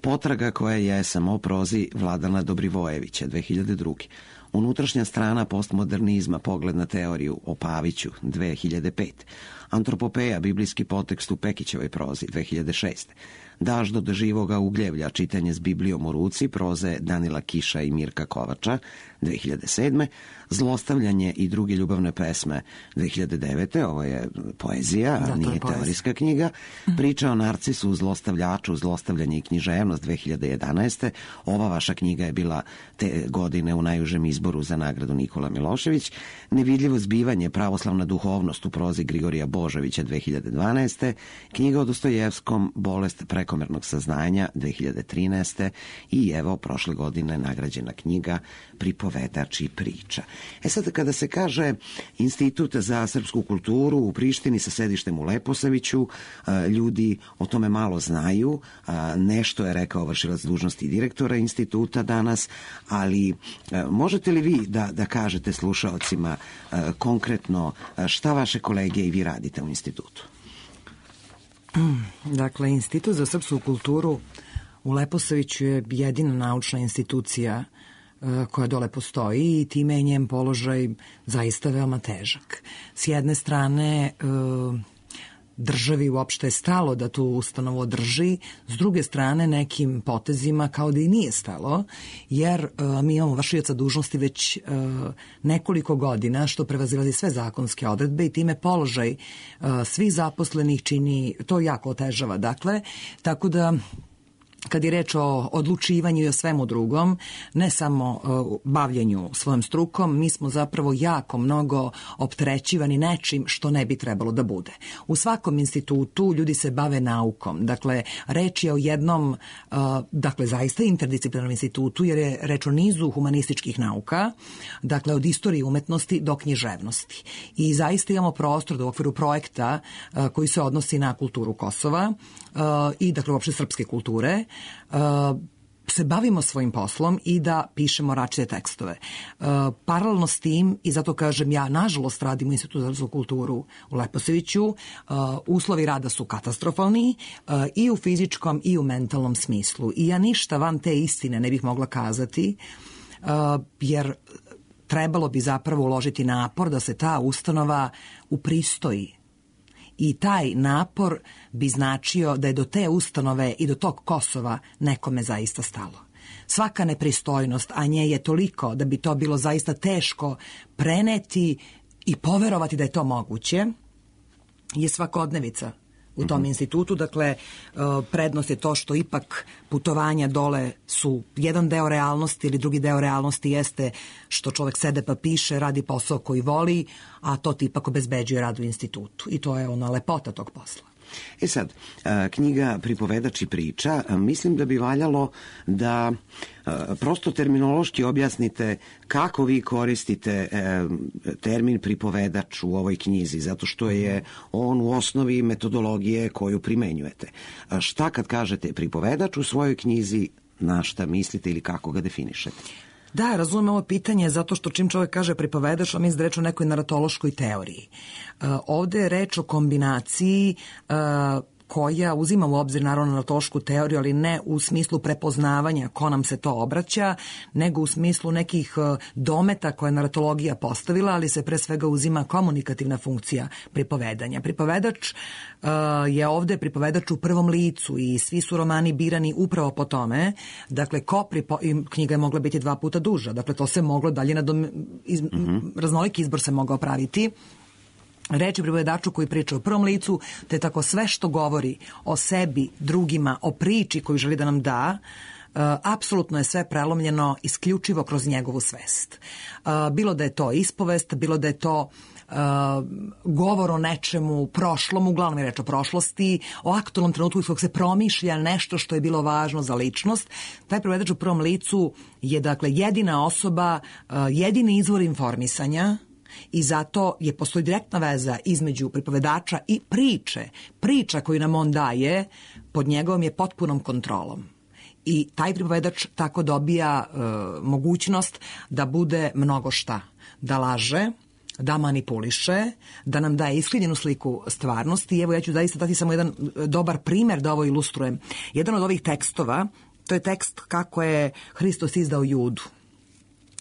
Potraga koja je samo prozi Vladana Dobrivojevića, dve hiljade druge. Unutrašnja strana postmodernizma, pogled na teoriju o Paviću, dve hiljade pete. Antropopeja, biblijski potekst u Pekićevoj prozi, dve hiljade šeste. Daš do živoga ugljevlja, čitanje s Biblijom u ruci, proze Danila Kiša i Mirka Kovača, dve hiljade sedme. Zlostavljanje i druge ljubavne pesme, dve hiljade devete. Ovo je poezija, da, a nije poezija. Teorijska knjiga. Priča o narcisu, zlostavljaču, zlostavljanje i književnost, dve hiljade jedanaeste. Ova vaša knjiga je bila te godine u najužem izboru za nagradu Nikola Milošević. Nevidljivo zbivanje, pravoslavna duhovnost u prozi Grigorija Božovića, dve hiljade dvanaeste. Knjiga o Dostojevskom, bolest prekomernog saznanja, dve hiljade trinaeste. I evo, prošle godine nagrađena knjiga Pripovedač i priča. E sad, kada se kaže Institut za srpsku kulturu u Prištini sa sedištem u Leposaviću, ljudi o tome malo znaju. Nešto je rekao vršilac dužnosti direktora instituta danas, ali možete li vi da, da kažete slušaocima konkretno šta vaše kolege i vi radite u institutu? Dakle, Institut za srpsku kulturu u Leposaviću je jedina naučna institucija koja dole postoji i time je njen položaj zaista veoma težak. S jedne strane, državi uopšte je stalo da tu ustanovu održi, s druge strane nekim potezima kao da i nije stalo, jer mi imamo vršioca dužnosti već nekoliko godina, što prevazilazi sve zakonske odredbe i time položaj svih zaposlenih čini, to jako otežava. Dakle, tako da kad je reč o odlučivanju i o svemu drugom, ne samo uh, bavljenju svojom strukom, mi smo zapravo jako mnogo opterećivani nečim što ne bi trebalo da bude. U svakom institutu ljudi se bave naukom. Dakle, reč je o jednom, uh, dakle, zaista interdisciplinarnom institutu, jer je reč o nizu humanističkih nauka, dakle, od istorije umetnosti do književnosti. I zaista imamo prostor da u okviru projekta uh, koji se odnosi na kulturu Kosova uh, i, dakle, uopšte srpske kulture, Uh, se bavimo svojim poslom i da pišemo različite tekstove. Uh, paralelno s tim, i zato kažem ja, nažalost radim u Institutu za srpsku kulturu u Leposaviću, uh, uslovi rada su katastrofalni uh, i u fizičkom i u mentalnom smislu. I ja ništa van te istine ne bih mogla kazati, uh, jer trebalo bi zapravo uložiti napor da se ta ustanova upristoji. I taj napor bi značio da je do te ustanove i do tog Kosova nekome zaista stalo. Svaka nepristojnost, a nje je toliko da bi to bilo zaista teško preneti i poverovati da je to moguće, je svakodnevica u tom mm-hmm. institutu. Dakle, prednost je to što ipak putovanja dole su jedan deo realnosti ili drugi deo realnosti jeste što čovek sede pa piše, radi posao koji voli, a to ti ipak obezbeđuje rad u institutu. I to je ona lepota tog posla. E sad, knjiga Pripovedač i priča, mislim da bi valjalo da prosto terminološki objasnite kako vi koristite termin pripovedač u ovoj knjizi, zato što je on u osnovi metodologije koju primenjujete. Šta kad kažete pripovedač u svojoj knjizi, na šta mislite ili kako ga definišete? Da, razumem ovo pitanje zato što čim čovjek kaže pripovedač, on misli da reč o nekoj naratološkoj teoriji. Uh, ovde je reč o kombinaciji uh, koja uzima u obzir naravno naratološku teoriju, ali ne u smislu prepoznavanja ko nam se to obraća, nego u smislu nekih dometa koje je naratologija postavila, ali se pre svega uzima komunikativna funkcija pripovedanja. Pripovedač uh, je ovde pripovedač u prvom licu i svi su romani birani upravo po tome. Dakle, ko pripo... knjiga je mogla biti dva puta duža. Dakle, to se moglo dalje na dom... iz... mm-hmm. raznoliki izbor se mogao praviti. Reč je pripovedaču koji priča u prvom licu, te tako sve što govori o sebi, drugima, o priči koju želi da nam da, uh, apsolutno je sve prelomljeno isključivo kroz njegovu svest. Uh, bilo da je to ispovest, bilo da je to Uh, govor o nečemu prošlom, uglavnom je reč o prošlosti, o aktualnom trenutku iz kog se promišlja nešto što je bilo važno za ličnost. Taj pripovedač u prvom licu je dakle jedina osoba, uh, jedini izvor informisanja. I zato je postoji direktna veza između pripovedača i priče. Priča koju nam on daje pod njegovom je potpunom kontrolom. I taj pripovedač tako dobija e, mogućnost da bude mnogo šta. Da laže, da manipuliše, da nam daje iskrivljenu sliku stvarnosti. I evo ja ću zaista dati samo jedan dobar primer da ovo ilustrujem. Jedan od ovih tekstova, to je tekst kako je Hristos izdao Judu.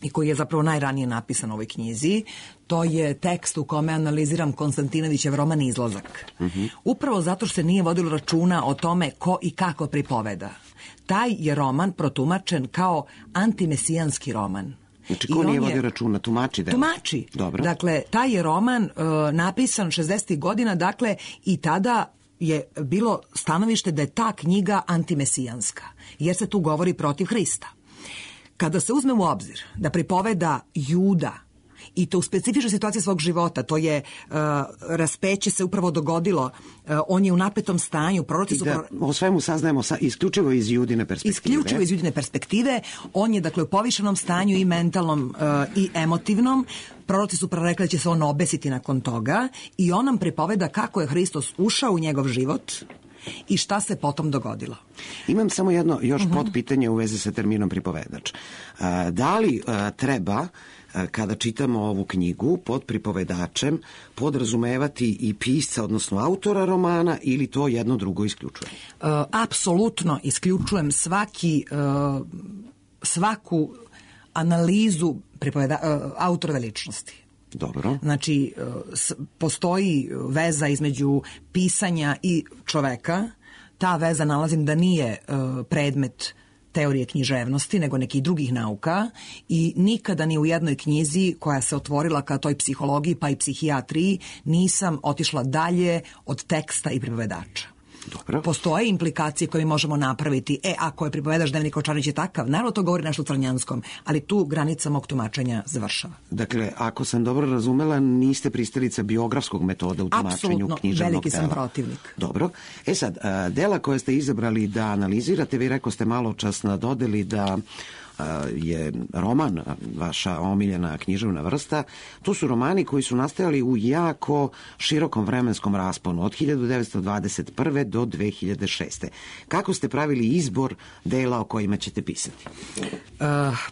i koji je zapravo najranije napisan u ovoj knjizi, to je tekst u kome analiziram Konstantinovićev roman Izlazak. Uh-huh. Upravo zato što se nije vodilo računa o tome ko i kako pripoveda. Taj je roman protumačen kao antimesijanski roman. Znači, ko nije vodio računa? Tumači? Delo. Tumači. Dobro. Dakle, taj je roman uh, napisan šezdesetih godina, dakle, i tada je bilo stanovište da je ta knjiga antimesijanska, jer se tu govori protiv Hrista. Kada se uzme u obzir da pripoveda Juda, i to u specifičnoj situaciji svog života, to je uh, raspeće se upravo dogodilo, uh, on je u napetom stanju, proroci su... Da, o svemu saznajemo sa, isključivo iz Judine perspektive. Isključivo iz Judine perspektive, on je dakle u povišenom stanju i mentalnom uh, i emotivnom, proroci su prorekli da će se on obesiti nakon toga i on nam pripoveda kako je Hristos ušao u njegov život i šta se potom dogodilo. Imam samo jedno još uh-huh. podpitanje u vezi sa terminom pripovedač. Uh, da li uh, treba kada čitamo ovu knjigu pod pripovedačem podrazumevati i pisca, odnosno autora romana, ili to jedno drugo isključuje? Uh, apsolutno isključujem svaki, uh, svaku analizu pripoveda, uh, autorove ličnosti. Dobro. Znači, uh, s, postoji veza između pisanja i čoveka. Ta veza nalazim da nije uh, predmet teorije književnosti, nego nekih drugih nauka i nikada ni u jednoj knjizi koja se otvorila ka toj psihologiji pa i psihijatriji nisam otišla dalje od teksta i pripovedača. Dobro. Postoje implikacije koje mi možemo napraviti. E, ako je pripovedač Dnevnik Ovčarnić je takav, naravno to govori nešto o Crnjanskom, ali tu granica mog tumačenja završava. Dakle, ako sam dobro razumela, niste pristalica biografskog metoda u tumačenju književnog dela. Apsolutno, veliki sam protivnik. Dobro. E sad, dela koje ste izabrali da analizirate, vi reko ste malo čas nadodeli da je roman, vaša omiljena književna vrsta, to su romani koji su nastajali u jako širokom vremenskom rasponu, od hiljadu devetsto dvadeset prve do dve hiljade šeste. Kako ste pravili izbor dela o kojima ćete pisati? Uh,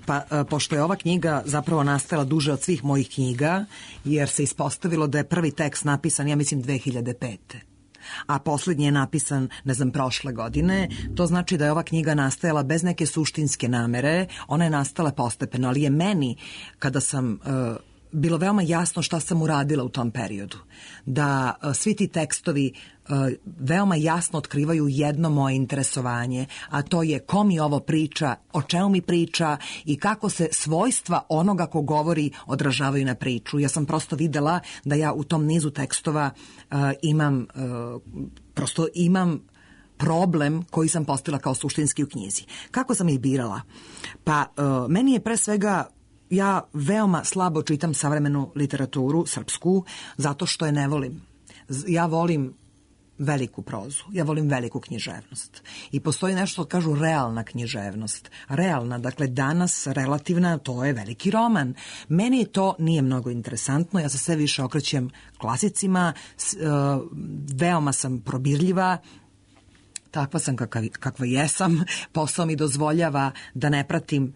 pa, uh, pošto je ova knjiga zapravo nastala duže od svih mojih knjiga, jer se ispostavilo da je prvi tekst napisan, ja mislim, dve hiljade pete. A poslednji je napisan, ne znam, prošle godine. To znači da je ova knjiga nastajala bez neke suštinske namere. Ona je nastala postepeno, ali je meni, kada sam... Uh, bilo veoma jasno šta sam uradila u tom periodu. Da uh, svi ti tekstovi uh, veoma jasno otkrivaju jedno moje interesovanje, a to je ko mi ovo priča, o čemu mi priča i kako se svojstva onoga ko govori odražavaju na priču. Ja sam prosto videla da ja u tom nizu tekstova uh, imam, uh, prosto imam problem koji sam postavila kao suštinski u knjizi. Kako sam ih birala? Pa uh, meni je pre svega ja veoma slabo čitam savremenu literaturu, srpsku, zato što je ne volim. Ja volim veliku prozu, ja volim veliku književnost. I postoji nešto što kažu realna književnost. Realna, dakle danas relativna, to je veliki roman. Meni to nije mnogo interesantno, ja se sve više okrećem klasicima, veoma sam probirljiva, takva sam kakva, kakva jesam, posao mi dozvoljava da ne pratim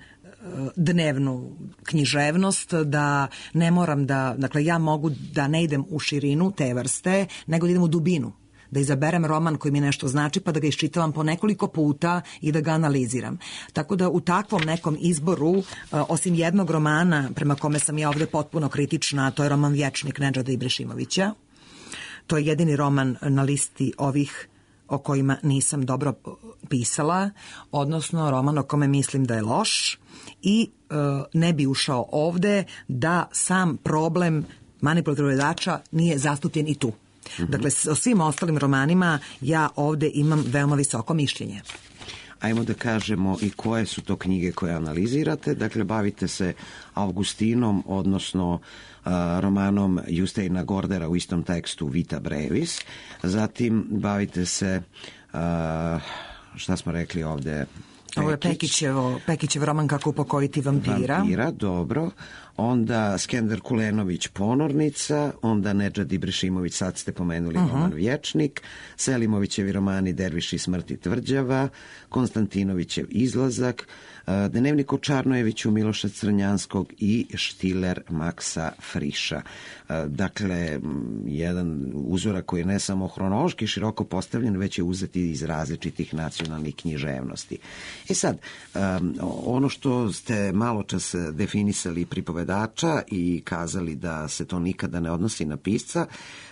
dnevnu književnost, da ne moram da, dakle ja mogu da ne idem u širinu te vrste, nego da idem u dubinu, da izaberem roman koji mi nešto znači pa da ga iščitavam po nekoliko puta i da ga analiziram. Tako da u takvom nekom izboru, osim jednog romana prema kome sam ja ovde potpuno kritična, to je roman Vječnik Nedžada Ibrešimovića, to je jedini roman na listi ovih o kojima nisam dobro pisala, odnosno roman o kome mislim da je loš i e, ne bi ušao ovde da sam problem manipulativnog predača nije zastupljen i tu. Mm-hmm. Dakle, o svim ostalim romanima ja ovde imam veoma visoko mišljenje. Ajmo da kažemo i koje su to knjige koje analizirate. Dakle, bavite se Augustinom, odnosno uh, romanom Justeina Gordera u istom tekstu Vita Brevis. Zatim bavite se, uh, šta smo rekli ovde, Pekić. Ovo je Pekićevo, Pekićev roman Kako upokojiti vampira. Vampira, dobro. Onda Skender Kulenović Ponornica, onda Nedžad Ibrešimović, sad ste pomenuli uh-huh. roman Vječnik, Selimovićevi romani Derviš i smrt i tvrđava, Konstantinovićev Izlazak, Dnevnik Ovčarnojeviću Miloša Crnjanskog i Štiler Maksa Friša. Dakle, jedan uzorak koji je ne samo hronološki široko postavljen, već je uzeti iz različitih nacionalnih književnosti. E sad, um, ono što ste malo čas definisali pripovedača i kazali da se to nikada ne odnosi na pisca,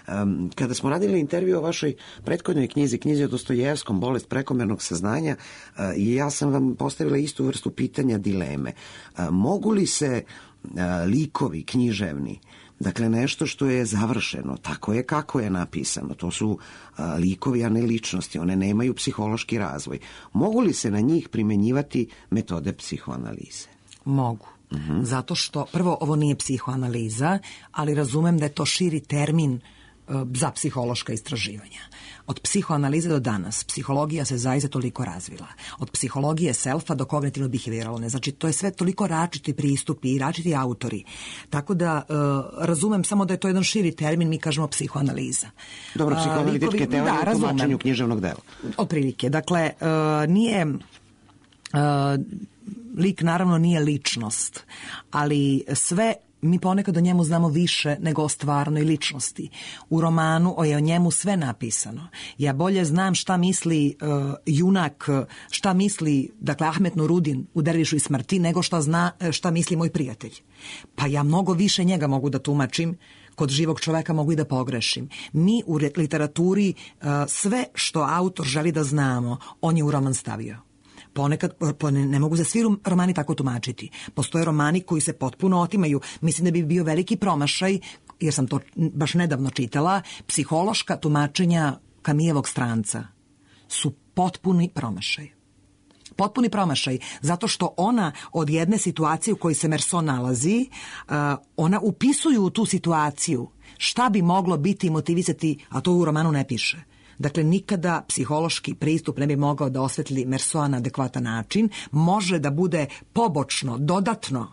um, kada smo radili intervju o vašoj prethodnoj knjizi, knjizi o Dostojevskom, Bolest prekomernog saznanja, uh, i ja sam vam postavila istu vrstu pitanja, dileme. Uh, mogu li se uh, likovi književni, dakle nešto što je završeno, tako je kako je napisano, to su a, likovi, a ne ličnosti, one nemaju psihološki razvoj. Mogu li se na njih primenjivati metode psihoanalize? Mogu. Uh-huh. Zato što, prvo, ovo nije psihoanaliza, ali razumem da je to širi termin uh, za psihološka istraživanja. Od psihoanalize do danas psihologija se zaista toliko razvila. Od psihologije selfa do kognitivno-behavioralne. Znači, to je sve toliko različiti pristupi i različiti autori. Tako da uh, razumem samo da je to jedan širi termin, mi kažemo psihoanaliza. Dobro, psihoanalitičke uh, teorije da, u tumačenju književnog dela. Otprilike. Dakle, uh, nije... Uh, lik naravno nije ličnost, ali sve mi ponekad o njemu znamo više nego o stvarnoj ličnosti. U romanu je o njemu sve napisano. Ja bolje znam šta misli uh, junak, šta misli, dakle, Ahmet Nurudin u Dervišu i smrti, nego šta, zna, šta misli moj prijatelj. Pa ja mnogo više njega mogu da tumačim, kod živog čoveka mogu i da pogrešim. Mi u literaturi uh, sve što autor želi da znamo, on je u roman stavio. Ponekad, ne, ne mogu za svi romani tako tumačiti. Postoje romani koji se potpuno otimaju. Mislim da bi bio veliki promašaj, jer sam to baš nedavno čitala, psihološka tumačenja Kamijevog Stranca su potpuni promašaj. Potpuni promašaj, zato što ona od jedne situacije u kojoj se Merson nalazi, uh, ona upisuju u tu situaciju šta bi moglo biti i motivisati, a to u romanu ne piše. Dakle, nikada psihološki pristup ne bi mogao da osvetli Mersoa na adekvatan način. Može da bude pobočno, dodatno,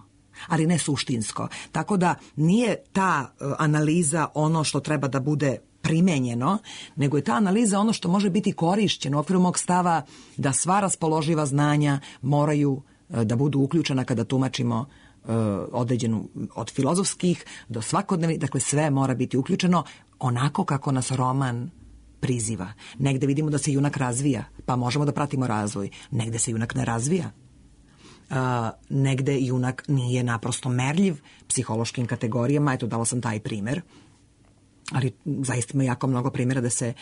ali ne suštinsko. Tako da nije ta uh, analiza ono što treba da bude primenjeno, nego je ta analiza ono što može biti korišćeno u okviru mog stava da sva raspoloživa znanja moraju uh, da budu uključena kada tumačimo uh, određenu od filozofskih do svakodnevnih, dakle sve mora biti uključeno onako kako nas roman priziva. Negde vidimo da se junak razvija, pa možemo da pratimo razvoj. Negde se junak ne razvija. Uh, negde junak nije naprosto merljiv psihološkim kategorijama. Eto, dala sam taj primer. Ali zaista ima jako mnogo primjera da se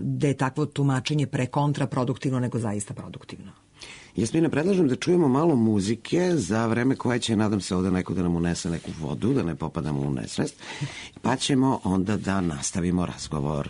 da je takvo tumačenje prekontraproduktivno nego zaista produktivno. Jasmina, predlažem da čujemo malo muzike za vreme koje će, nadam se, ovde neko da nam unese neku vodu, da ne popadamo u nesvest, pa ćemo onda da nastavimo razgovor.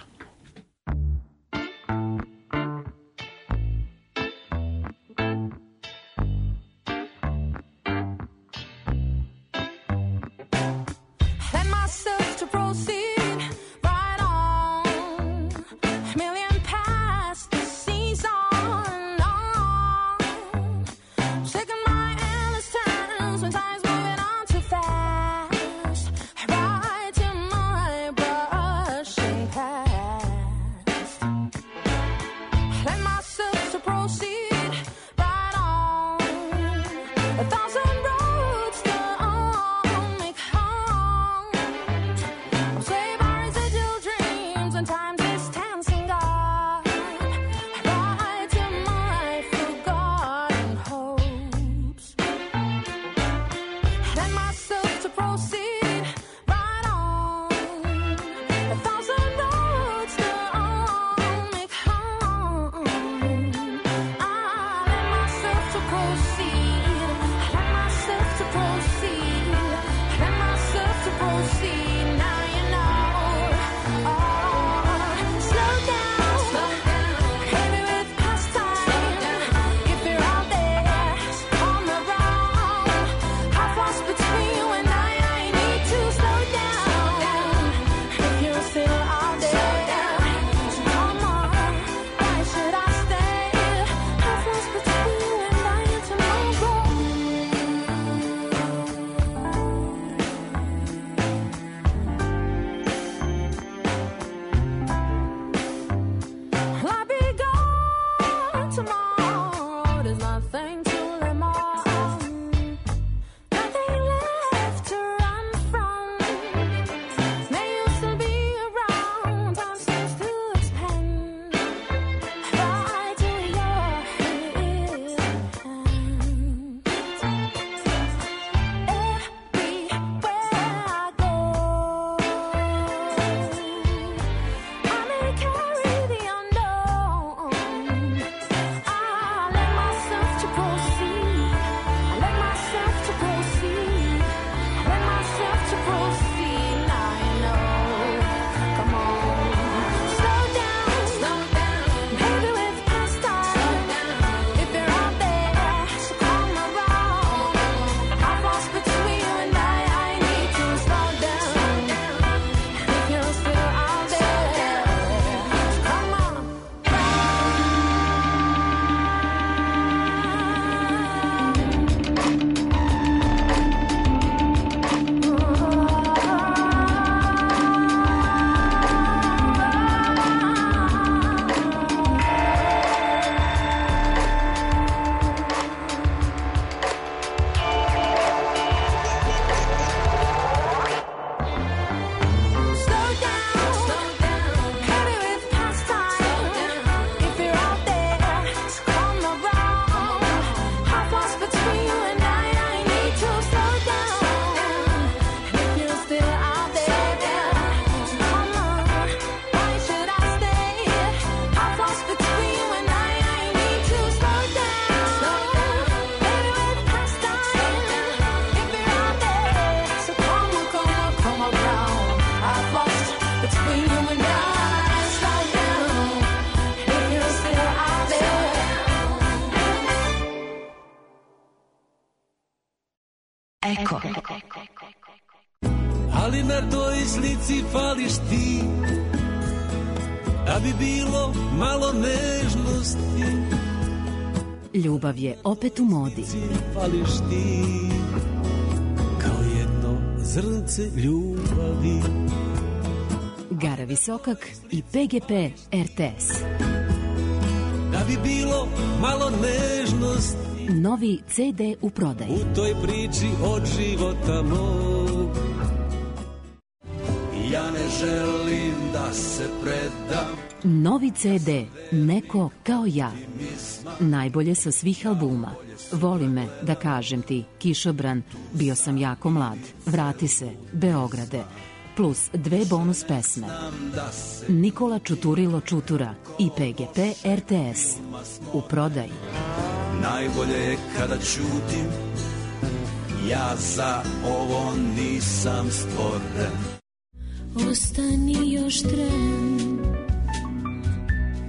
Between you and I, I need Eko. Ali na toj slici fališ ti, da bi bilo malo nežnosti. Ljubav je opet u modi. Fališ ti, kao jedno zrnce ljubavi. Gara Visokak i P G P R T S. Da bi bilo malo nežnosti. Novi C D u prodaji. U toj priči od života mog. Ja ne želim da se predam. Novi C D Neko kao ja. Najbolje sa svih albuma. Voli me, da kažem ti, Kišobran, Bio sam jako mlad, Vrati se, Beograde, plus dve bonus pesme. Nikola Čuturilo Čutura i P G P R T S. U prodaji. Najbolje je kada ćutim, ja za ovo nisam stvoren. Ostani još tren,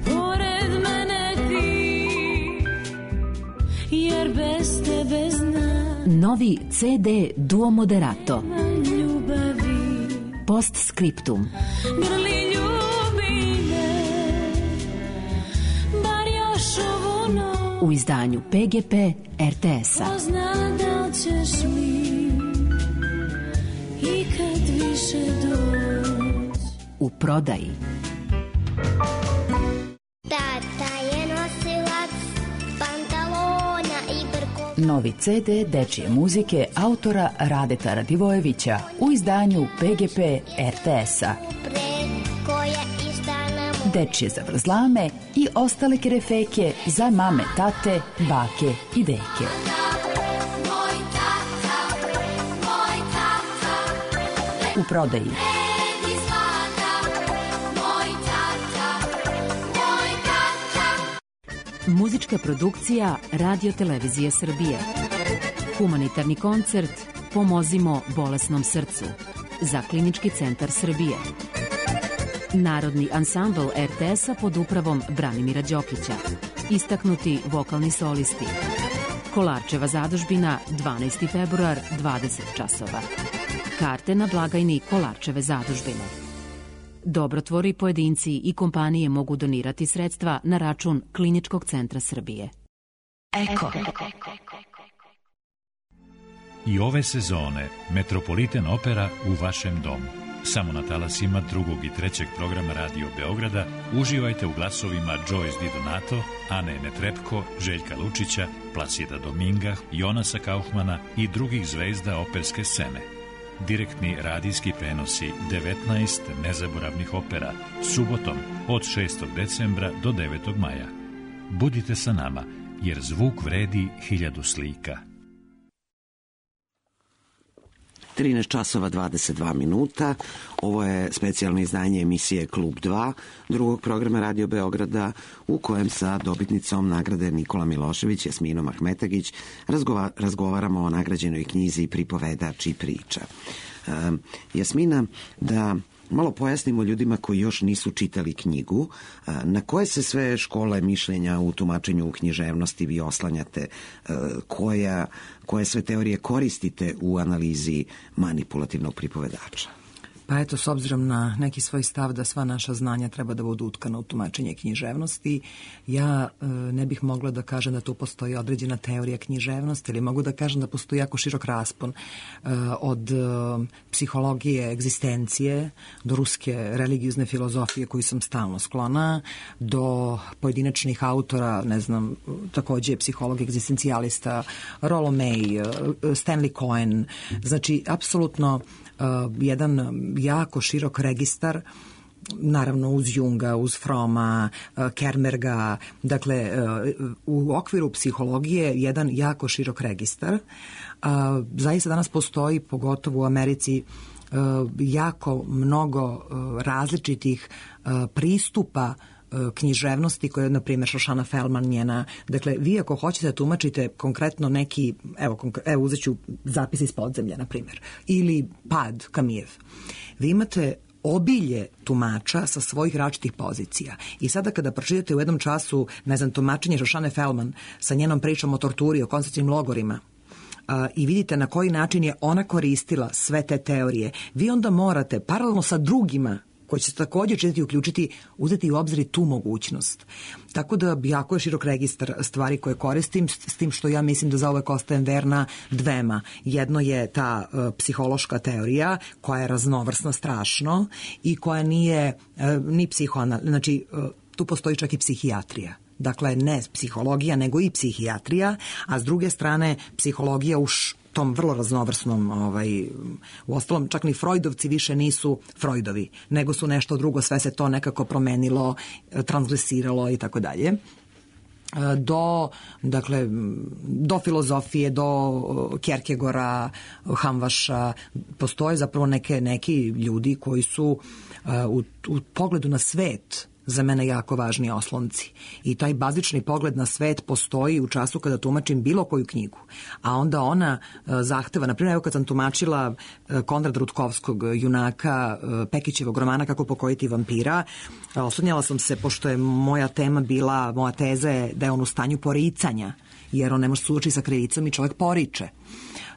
pored mene ti, jer bez tebe znam. Novi C D Duo Moderato. Ljubavi. Postscriptum. Grli ljubi me, bar još ovu noć. U izdanju P G P R T S-a. Pozna da li ćeš mi ikad više doći. U prodaji. Tata je nosilac pantalona i brkova. Novi C D dečije muzike autora Radeta Radivojevića u izdanju P G P R T S-a. Dečije zavrzlame i ostale kerefeke za mame, tate, bake i deke. U prodaji. Muzička produkcija Radio Televizije Srbije. Humanitarni koncert Pomozimo bolesnom srcu za Klinički centar Srbije. Narodni ansambl R T S-a pod upravom Branimira Đokića. Istaknuti vokalni solisti. Kolarčeva zadužbina, dvanaesti februar, dvadeset časova. Karte na blagajni Kolarčeve zadužbine. Dobrotvori, pojedinci i kompanije mogu donirati sredstva na račun Kliničkog centra Srbije. Eko. I ove sezone Metropolitan Opera u vašem domu. Samo na talasima drugog i trećeg programa Radio Beograda uživajte u glasovima Joyce Di Donato, Ane Netrepko, Željka Lučića, Placida Dominga, Jonasa Kaufmana i drugih zvezda operske scene. Direktni radijski prenosi devetnaest nezaboravnih opera subotom od šestog decembra do devetog maja. Budite sa nama, jer zvuk vredi hiljadu slika. trinaest časova dvadeset dva minuta. Ovo je specijalno izdanje emisije Klub dva, drugog programa Radio Beograda, u kojem sa dobitnicom nagrade Nikola Milošević, Jasminom Ahmetagić, razgova, razgovaramo o nagrađenoj knjizi Pripovedač i priča. E, Jasmina, da malo pojasnimo ljudima koji još nisu čitali knjigu, na koje se sve škole mišljenja u tumačenju književnosti vi oslanjate, koja, koje sve teorije koristite u analizi manipulativnog pripovedača? Pa eto, s obzirom na neki svoj stav da sva naša znanja treba da budu utkana u tumačenje književnosti, ja e, ne bih mogla da kažem da tu postoji određena teorija književnosti, ili mogu da kažem da postoji jako širok raspon e, od e, psihologije egzistencije do ruske religiozne filozofije koju sam stalno sklona, do pojedinačnih autora, ne znam, takođe psiholog egzistencijalista, Rollo May, Stanley Cohen, znači, apsolutno Uh, jedan jako širok registar, naravno uz Junga, uz Froma, uh, Kermerga, dakle uh, u okviru psihologije jedan jako širok registar. Uh, zaista danas postoji, pogotovo u Americi, uh, jako mnogo uh, različitih uh, pristupa književnosti koja je, na primjer, Šošana Feldman njena. Dakle, vi ako hoćete da tumačite konkretno neki, evo, konkre, evo uzet ću zapis iz podzemlja, na primjer, ili Pad Kamijev, vi imate obilje tumača sa svojih različitih pozicija. I sada kada pročitate u jednom času, ne znam, tumačenje Šošane Feldman sa njenom pričom o torturi, o koncentracionim logorima, i vidite na koji način je ona koristila sve te teorije, vi onda morate paralelno sa drugima koji će se također čitati i uključiti, uzeti u obzir tu mogućnost. Tako da jako je širok registar stvari koje koristim, s tim što ja mislim da zauvek ostajem verna dvema. Jedno je ta uh, psihološka teorija koja je raznovrsna strašno i koja nije uh, ni psihoanal... Znači, uh, tu postoji čak i psihijatrija. Dakle, ne psihologija, nego i psihijatrija, a s druge strane psihologija u tom vrlo raznovrsnom, ovaj, u ostalom čak ni Freudovci više nisu Freudovi, nego su nešto drugo, sve se to nekako promenilo, transgresiralo i tako dalje. Do, dakle, do filozofije, do Kierkegaarda, Hamvaša, postoje zapravo neke, neki ljudi koji su u, u pogledu na svet za mene jako važni oslonci. I taj bazični pogled na svet postoji u času kada tumačim bilo koju knjigu. A onda ona uh, zahteva, na primjer, evo kad sam tumačila uh, Konrada Rutkovskog junaka uh, Pekićevog romana Kako pokojiti vampira, uh, oslanjala sam se, pošto je moja tema bila, moja teza je da je on u stanju poricanja, jer on ne može suočiti sa krivicom i čovjek poriče.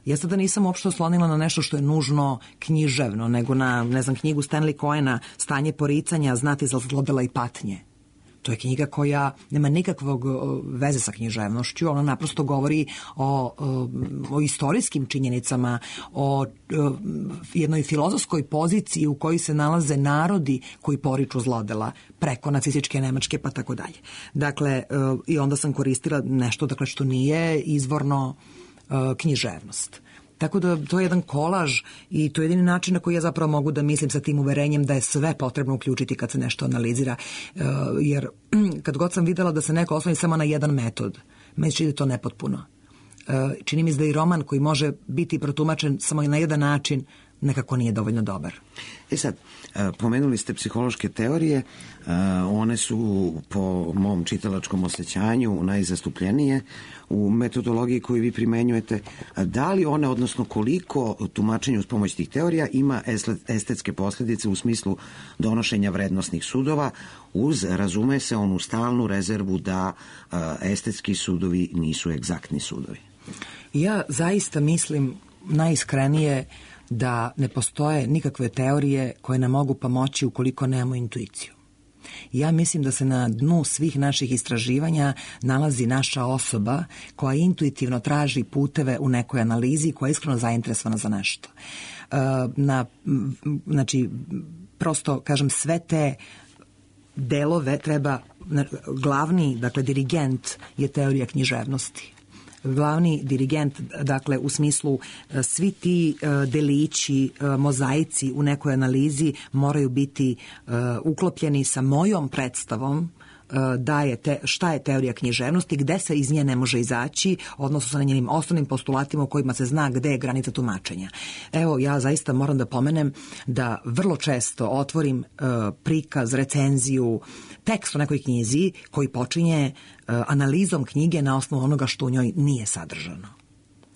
Ja sada nisam uopšte oslonila na nešto što je nužno književno, nego na, ne znam, knjigu Stanley Cohena Stanje poricanja, znati za zlodela i patnje. To je knjiga koja nema nikakvog veze sa književnošću, ona naprosto govori o, o, o istorijskim činjenicama, o, o jednoj filozofskoj poziciji u kojoj se nalaze narodi koji poriču zlodela, preko nacističke Nemačke pa tako dalje. Dakle, i onda sam koristila nešto, dakle, što nije izvorno književnost. Tako da to je jedan kolaž i to je jedini način na koji ja zapravo mogu da mislim sa tim uverenjem da je sve potrebno uključiti kad se nešto analizira. Jer kad god sam videla da se neko osloni samo na jedan metod, meni čini da je to nepotpuno. Čini mi se da i roman koji može biti protumačen samo na jedan način nekako nije dovoljno dobar. E sad, pomenuli ste psihološke teorije, one su po mom čitalačkom osjećanju najzastupljenije u metodologiji koju vi primenjujete. Da li one, odnosno koliko tumačenje uz pomoć tih teorija ima estetske posljedice u smislu donošenja vrednosnih sudova, uz, razume se, onu stalnu rezervu da estetski sudovi nisu egzaktni sudovi? Ja zaista mislim najiskrenije da ne postoje nikakve teorije koje nam mogu pomoći ukoliko nemamo intuiciju. Ja mislim da se na dnu svih naših istraživanja nalazi naša osoba koja intuitivno traži puteve u nekoj analizi, koja je iskreno zainteresovana za nešto. Na, znači, prosto, kažem, sve te delove treba, glavni, dakle, dirigent je teorija književnosti. Glavni dirigent, dakle, u smislu svi ti delići, mozaici u nekoj analizi moraju biti uklopljeni sa mojom predstavom da je te, šta je teorija književnosti, gde se iz nje ne može izaći, odnosno sa njenim osnovnim postulatima u kojima se zna gde je granica tumačenja. Evo, ja zaista moram da pomenem da vrlo često otvorim uh, prikaz, recenziju, tekst u nekoj knjizi koji počinje uh, analizom knjige na osnovu onoga što u njoj nije sadržano.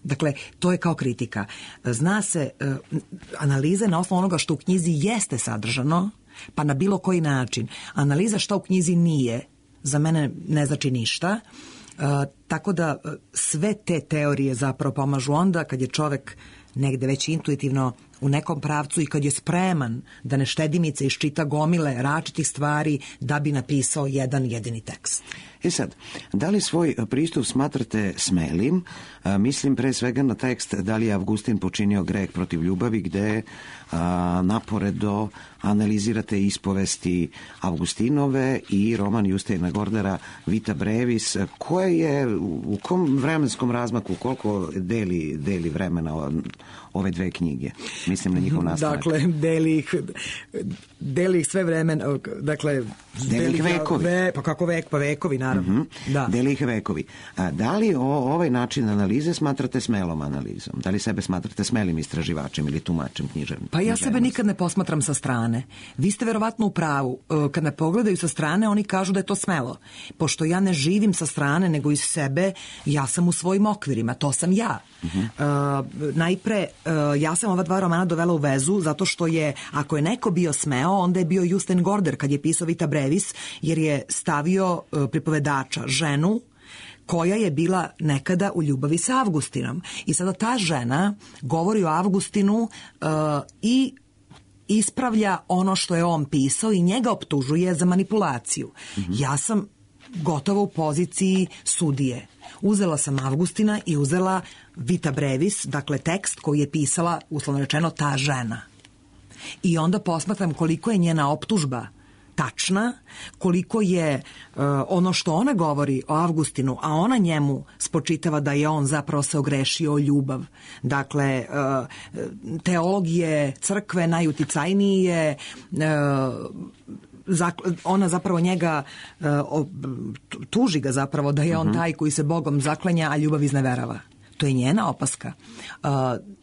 Dakle, to je kao kritika. Zna se, uh, analize na osnovu onoga što u knjizi jeste sadržano, pa na bilo koji način. Analiza šta u knjizi nije, za mene ne znači ništa. E, tako da sve te teorije zapravo pomažu onda kad je čovek negde već intuitivno u nekom pravcu i kad je spreman da ne štedimice iščita gomile različitih stvari da bi napisao jedan jedini tekst. E sad, da li svoj pristup smatrate smelim? A, mislim pre svega na tekst da li je Avgustin počinio greh protiv ljubavi, gde a, naporedo analizirate ispovesti Avgustinove i roman Justina Gordera Vita Brevis, koje je u kom vremenskom razmaku, koliko deli, deli vremena ove dve knjige? Mislim na njihov nastanak. Dakle, deli ih, deli ih sve vremena, dakle... Deli ih vekovi. Ve, pa kako vek, pa vekovi, naravno. Mm-hmm. Da. Deli ih vekovi. A, da li o, ovaj način analize smatrate smelom analizom? Da li sebe smatrate smelim istraživačem ili tumačem književnim? Pa ja sebe nikad ne posmatram sa strane. Vi ste verovatno u pravu. Kad me pogledaju sa strane, oni kažu da je to smelo. Pošto ja ne živim sa strane, nego iz sebe, ja sam u svojim okvirima. To sam ja. Uh-huh. Uh, najpre, uh, ja sam ova dva romana dovela u vezu zato što je, ako je neko bio smeo, onda je bio Justin Gorder kad je pisao Vita Brevis, jer je stavio uh, pripovedača, ženu, koja je bila nekada u ljubavi sa Avgustinom. I sada ta žena govori o Avgustinu uh, i ispravlja ono što je on pisao i njega optužuje za manipulaciju. Mm-hmm. Ja sam gotovo u poziciji sudije. Uzela sam Avgustina i uzela Vita Brevis, dakle tekst koji je pisala, uslovno rečeno, ta žena. I onda posmatram koliko je njena optužba tačna, koliko je uh, ono što ona govori o Avgustinu, a ona njemu spočitava da je on zapravo se ogrešio o ljubav. Dakle, uh, teologije crkve najuticajnije, uh, ona zapravo njega uh, tuži ga zapravo da je on taj koji se Bogom zaklenja, a ljubav izneverava. To je njena opaska. Uh,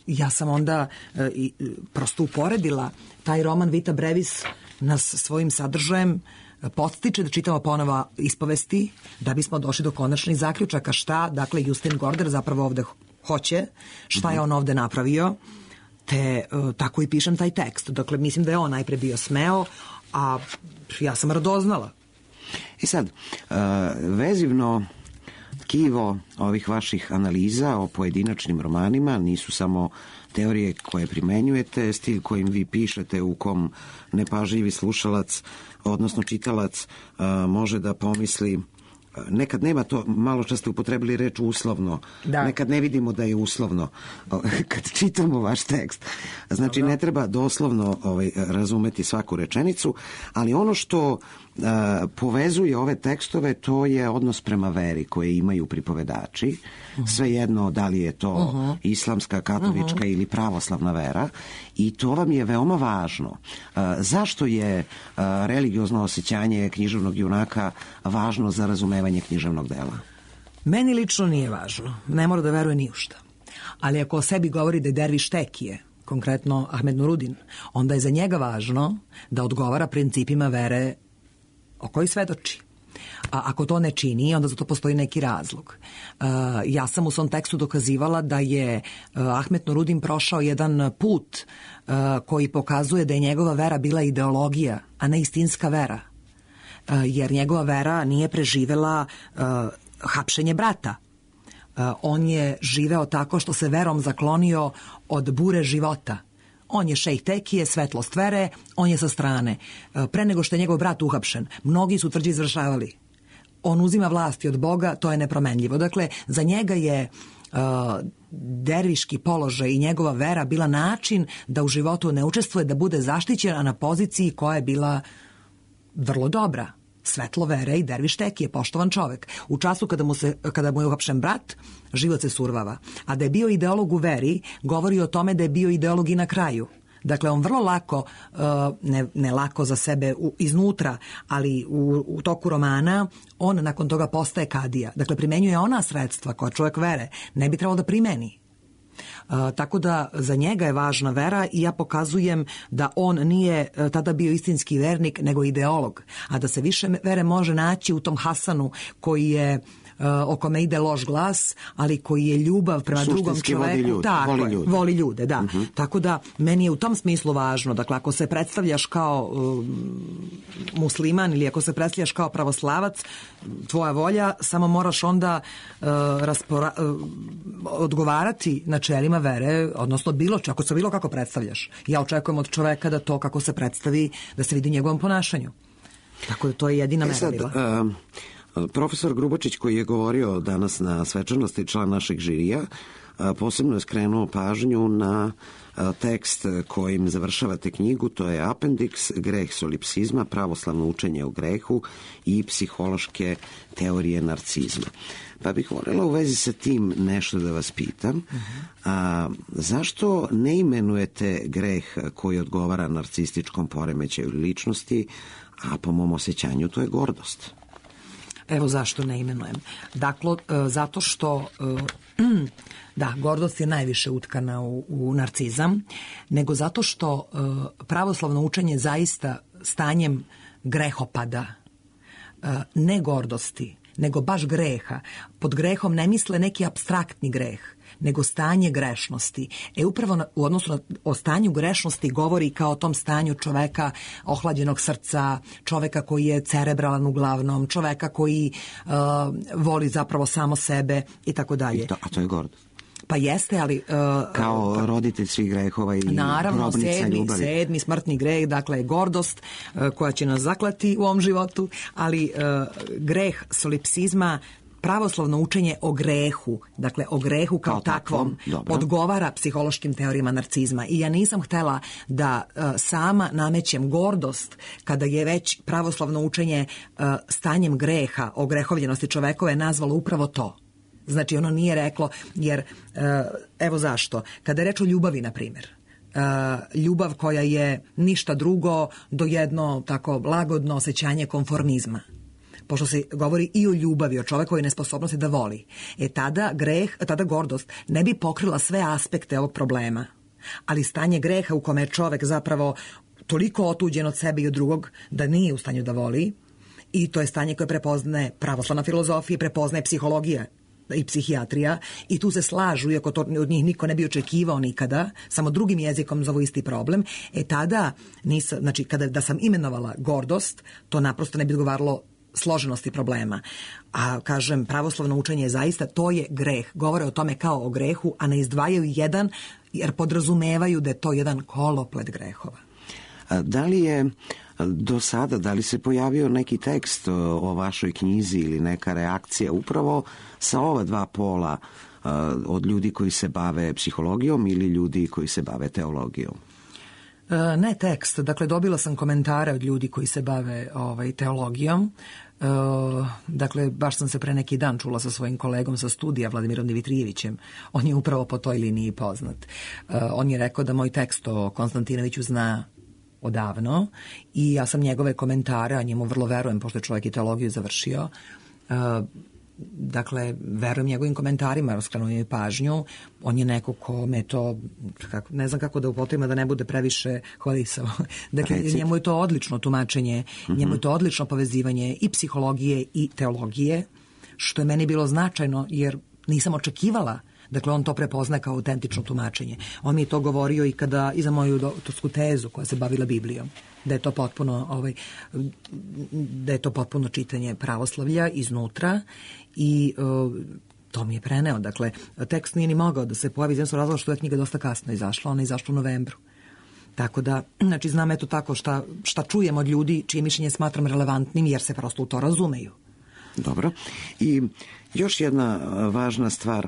ja sam onda uh, i, prosto uporedila taj roman Vita Brevis nas svojim sadržajem podstiče da čitamo ponovo ispovesti da bismo došli do konačnih zaključaka šta, dakle, Justin Gorder zapravo ovde hoće, šta je on ovde napravio, te uh, tako i pišem taj tekst. Dakle, mislim da je on najpre bio smeo, a ja sam radoznala. I sad, uh, vezivno tkivo ovih vaših analiza o pojedinačnim romanima nisu samo teorije koje primenjujete, stil kojim vi pišete, u kom nepažljivi slušalac, odnosno čitalac, uh, može da pomisli. Nekad nema to, malo čas ste upotrebili reč uslovno, da. Nekad ne vidimo da je uslovno kad čitamo vaš tekst. Znači, Dobro. Ne treba doslovno ovaj, razumeti svaku rečenicu, ali ono što uh, povezuje ove tekstove, to je odnos prema veri koje imaju pripovedači. Uh-huh. Svejedno da li je to uh-huh. islamska, katolička uh-huh. ili pravoslavna vera, i to vam je veoma važno. Uh, zašto je uh, religiozno osjećanje književnog junaka važno za razumevanje književnog dela? Meni lično nije važno. Ne mora da veruje ni u šta. Ali ako o sebi govori da je derviš tekije, konkretno Ahmed Nurudin, onda je za njega važno da odgovara principima vere o kojoj svedoči. A ako to ne čini, onda za to postoji neki razlog. Uh, ja sam u svom tekstu dokazivala da je uh, Ahmed Nurudin prošao jedan put uh, koji pokazuje da je njegova vera bila ideologija, a ne istinska vera. Uh, jer njegova vera nije preživela uh, hapšenje brata. Uh, on je živeo tako što se verom zaklonio od bure života. On je šejh tekije, svetlost vere, on je sa strane. Pre nego što je njegov brat uhapšen, mnogi su tvrđe izvršavali. On uzima vlasti od Boga, to je nepromenljivo. Dakle, za njega je uh, derviški položaj i njegova vera bila način da u životu ne učestvuje, da bude zaštićena na poziciji koja je bila vrlo dobra. Svetlo vere i derviš tekije, poštovan čovek. U času kada mu, se, kada mu je uhapšen brat, život se survava. A da je bio ideolog u veri, govori o tome da je bio ideolog i na kraju. Dakle, on vrlo lako, ne, ne lako za sebe iznutra, ali u, u toku romana, on nakon toga postaje kadija. Dakle, primenjuje ona sredstva koja čovjek vere ne bi trebalo da primeni. Uh, tako da za njega je važna vera i ja pokazujem da on nije uh, tada bio istinski vernik nego ideolog, a da se više vere može naći u tom Hasanu koji je uh, o kome ide loš glas, ali koji je ljubav prema suštinski drugom čoveku. Voli ljude, tako, voli ljude. Voli ljude, da. Uh-huh. Tako da meni je u tom smislu važno. Dakle, ako se predstavljaš kao uh, musliman ili ako se predstavljaš kao pravoslavac, tvoja volja, samo moraš onda uh, raspora, uh, odgovarati načelima vere, odnosno bilo če, ako se bilo kako predstavljaš. Ja očekujem od čoveka da to kako se predstavi, da se vidi u njegovom ponašanju. Tako da to je jedina mera bila. E sad, uh... Profesor Grubočić, koji je govorio danas na svečanosti, član našeg žirija, posebno je skrenuo pažnju na tekst kojim završavate knjigu, to je Apendiks, greh solipsizma, pravoslavno učenje o grehu i psihološke teorije narcizma. Pa bih voljela u vezi sa tim nešto da vas pitam. A, zašto ne imenujete greh koji odgovara narcističkom poremećaju ličnosti, a po mom osjećanju to je gordost? Evo zašto ne imenujem. Dakle, zato što da, gordost je najviše utkana u, u narcizam, nego zato što pravoslavno učenje zaista stanjem grehopada, ne gordosti, nego baš greha. Pod grehom ne misle neki apstraktni greh, nego stanje grešnosti. E upravo na, u odnosu na o stanju grešnosti govori kao o tom stanju čoveka ohlađenog srca, čoveka koji je cerebralan uglavnom, čoveka koji uh, voli zapravo samo sebe i tako dalje. A to je gordost. Pa jeste, ali... Uh, Kao roditelj svih grehova i naravno, grobnica sedmi, ljubavi. sedmi smrtni greh, dakle gordost uh, koja će nas zaklati u ovom životu, ali uh, greh solipsizma, pravoslavno učenje o grehu, dakle o grehu kao, kao takvom, takvom odgovara psihološkim teorijama narcizma. I ja nisam htela da uh, sama namećem gordost kada je već pravoslavno učenje uh, stanjem greha, o grehovljenosti čovekove nazvalo upravo to. Znači ono nije reklo, jer evo zašto. Kada je reč o ljubavi, na primjer, ljubav koja je ništa drugo do jedno tako lagodno osjećanje konformizma. Pošto se govori i o ljubavi, o čovekovoj nesposobnosti da voli. E tada greh, tada gordost ne bi pokrila sve aspekte ovog problema. Ali stanje greha u kome je čovek zapravo toliko otuđen od sebe i od drugog da nije u stanju da voli, i to je stanje koje prepoznaje pravoslavna filozofija, prepoznaje psihologija i psihijatrija, i tu se slažu, iako to od njih niko ne bi očekivao nikada, samo drugim jezikom zovu isti problem. E tada, nisam, znači kada da sam imenovala gordost, to naprosto ne bi odgovaralo složenosti problema. A kažem, pravoslavno učenje je zaista, to je greh. Govore o tome kao o grehu, a ne izdvajaju jedan, jer podrazumevaju da je to jedan koloplet grehova. A da li je do sada, da li se pojavio neki tekst o vašoj knjizi ili neka reakcija upravo sa ova dva pola, od ljudi koji se bave psihologijom ili ljudi koji se bave teologijom? Ne tekst, dakle dobila sam komentare od ljudi koji se bave ovaj, teologijom. E, dakle, baš sam se pre neki dan čula sa svojim kolegom sa studija, Vladimirom Dimitrijevićem. On je upravo po toj liniji poznat. E, on je rekao da moj tekst o Konstantinoviću zna odavno i ja sam njegove komentare, a njemu vrlo verujem, pošto je čovjek i teologiju završio, e, dakle, verujem njegovim komentarima, raskrenuo je pažnju. On je neko ko me to, kako, ne znam kako da upotrebim, da ne bude previše hvalisao. Dakle, Recit. njemu je to odlično tumačenje, mm-hmm. njemu je to odlično povezivanje i psihologije i teologije, što je meni bilo značajno, jer nisam očekivala. Dakle, on to prepozna kao autentično tumačenje. On mi je to govorio i kada, i za moju doktorsku tezu koja se bavila Biblijom, da je to potpuno, ovaj, da je to potpuno čitanje pravoslavlja iznutra i uh, to mi je preneo. Dakle, tekst nije ni mogao da se pojavi, zato razloga što je knjiga dosta kasno izašla, ona je izašla u novembru. Tako da, znači, znam eto tako šta, šta čujem od ljudi čije mišljenje smatram relevantnim, jer se prosto u to razumeju. Dobro. I još jedna važna stvar,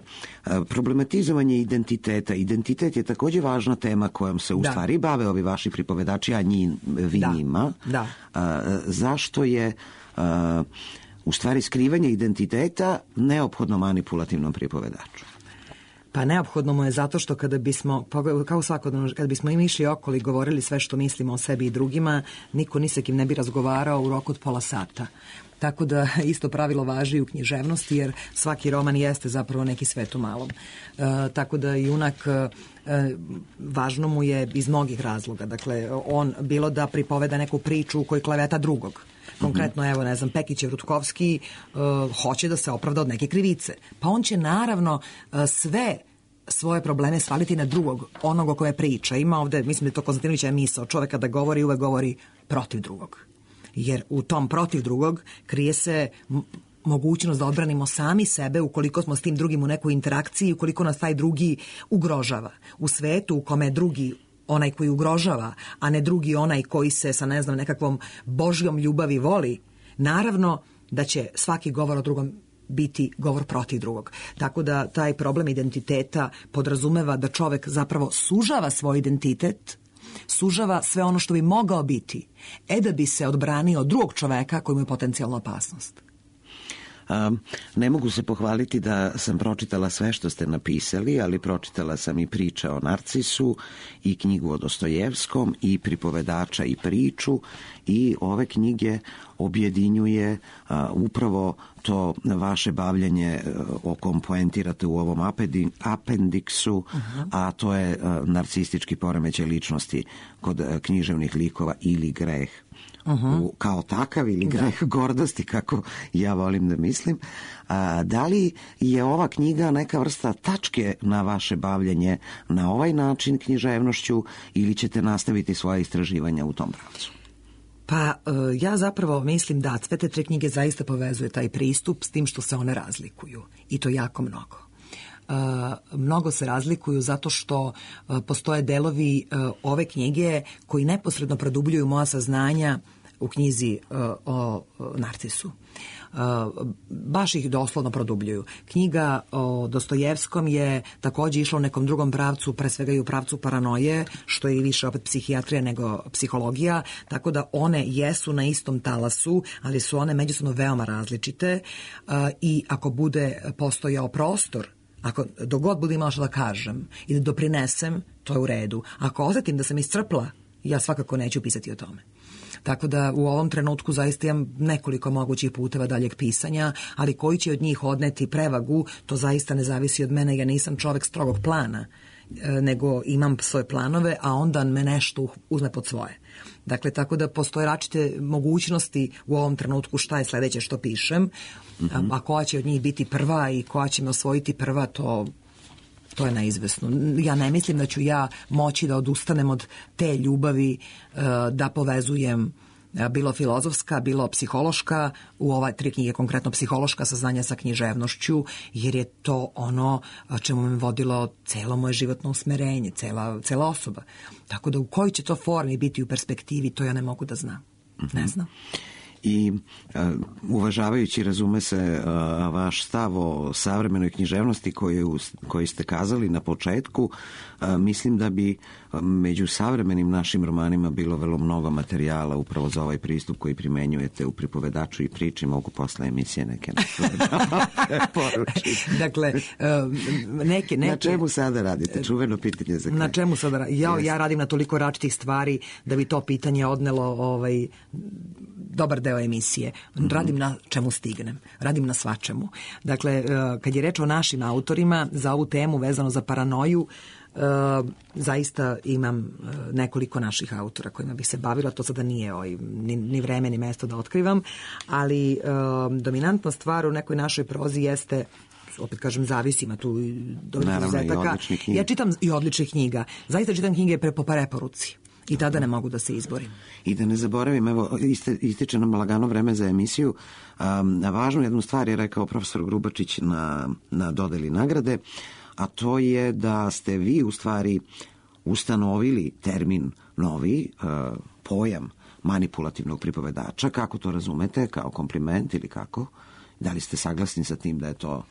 problematizovanje identiteta. Identitet je također važna tema kojom se u da. stvari bave ovi vaši pripovedači, a njih, vi da. njima. Da. A, zašto je a, u stvari skrivanje identiteta neophodno manipulativnom pripovedaču? Pa neophodno mu je zato što kada bismo, kao svakodnevno, kada bismo im išli okolo i govorili sve što mislimo o sebi i drugima, niko ni sa kim ne bi razgovarao u roku od pola sata. Tako da isto pravilo važi u književnosti, jer svaki roman jeste zapravo neki svet u malom. E, tako da junak e, važno mu je iz mnogih razloga. Dakle, on bilo da pripoveda neku priču u kojoj kleveta drugog. Konkretno, mm-hmm. evo, ne znam, Pekićev Rutkovski uh, hoće da se opravda od neke krivice. Pa on će naravno uh, sve svoje probleme svaliti na drugog, onog o kome priča. Ima ovde, mislim da je to Konstantinovićeva misao, čoveka da govori, uvek govori protiv drugog. Jer u tom protiv drugog krije se m- mogućnost da odbranimo sami sebe ukoliko smo s tim drugim u nekoj interakciji, ukoliko nas taj drugi ugrožava. U svetu u kome drugi onaj koji ugrožava, a ne drugi onaj koji se sa, ne znam, nekakvom božjom ljubavi voli, naravno da će svaki govor o drugom biti govor protiv drugog. Tako da taj problem identiteta podrazumeva da čovek zapravo sužava svoj identitet, sužava sve ono što bi mogao biti, e da bi se odbranio od drugog čoveka koji mu je potencijalna opasnost. Um, ne mogu se pohvaliti da sam pročitala sve što ste napisali, ali pročitala sam i priče o Narcisu i knjigu o Dostojevskom i pripovedača i priču, i ove knjige objedinjuje uh, upravo to vaše bavljanje uh, o kom poentirate u ovom apendi, apendiksu, uh-huh. a to je uh, narcistički poremećaj ličnosti kod uh, književnih likova ili greh uh-huh. u, kao takav ili greh da. gordosti, kako ja volim da mislim. A, da li je ova knjiga neka vrsta tačke na vaše bavljenje na ovaj način književnošću ili ćete nastaviti svoje istraživanja u tom pravcu? Pa ja zapravo mislim da sve te tri knjige zaista povezuje taj pristup s tim što se one razlikuju i to jako mnogo. Uh, mnogo se razlikuju zato što uh, postoje delovi uh, ove knjige koji neposredno produbljuju moja saznanja u knjizi uh, o, o Narcisu. Uh, baš ih doslovno produbljuju. Knjiga o Dostojevskom je takođe išla u nekom drugom pravcu, pre svega i u pravcu paranoje, što je i više opet psihijatrija nego psihologija, tako da one jesu na istom talasu, ali su one međusobno veoma različite uh, i ako bude postojao prostor, ako dogod budem imala što da kažem i da doprinesem, to je u redu. Ako osetim da sam iscrpla, ja svakako neću pisati o tome. Tako da u ovom trenutku zaista imam nekoliko mogućih puteva daljeg pisanja, ali koji će od njih odneti prevagu, to zaista ne zavisi od mene, ja nisam čovek strogog plana, nego imam svoje planove, a onda me nešto uzme pod svoje. Dakle, tako da postoje različite mogućnosti u ovom trenutku šta je sledeće što pišem, mm-hmm. a koja će od njih biti prva i koja će me osvojiti prva, to... To je neizvesno. Ja ne mislim da ću ja moći da odustanem od te ljubavi da povezujem bilo filozofska, bilo psihološka, u ova tri knjige konkretno psihološka saznanja sa književnošću, jer je to ono čemu me vodilo celo moje životno usmerenje, cela, cela osoba. Tako da u kojoj će to formi biti u perspektivi, to ja ne mogu da znam. Mm-hmm. Ne znam. I uh, uvažavajući, razume se, uh, vaš stav o savremenoj književnosti koju, koju ste kazali na početku, uh, mislim da bi među savremenim našim romanima bilo vrlo mnogo materijala upravo za ovaj pristup koji primenjujete u Pripovedaču i priči. Mogu posle emisije neke poručiti. Dakle, neke, neke... Na čemu sada radite? Čuveno pitanje za kraj. Na čemu sada radite? Ja, ja radim na toliko različitih stvari da bi to pitanje odnelo ovaj, dobar deo emisije. Radim na čemu stignem. Radim na svačemu. Dakle, kad je reč o našim autorima, za ovu temu vezano za paranoju, Uh, zaista imam uh, nekoliko naših autora kojima bih se bavila, to sada nije oj, ni, ni vreme ni mesto da otkrivam, ali uh, dominantna stvar u nekoj našoj prozi jeste, opet kažem, zavisima tu do izuzetaka. Ja čitam i odličnih knjiga. Zaista čitam knjige pre, po preporuci. I tada ne mogu da se izborim. I da ne zaboravim, evo, iste, ističe nam lagano vreme za emisiju. Um, važnu jednu stvar je rekao profesor Grubačić na, na dodeli nagrade, a to je da ste vi u stvari ustanovili termin novi, uh, pojam manipulativnog pripovedača. Kako to razumete? Kao kompliment ili kako? Da li ste saglasni sa tim da je to...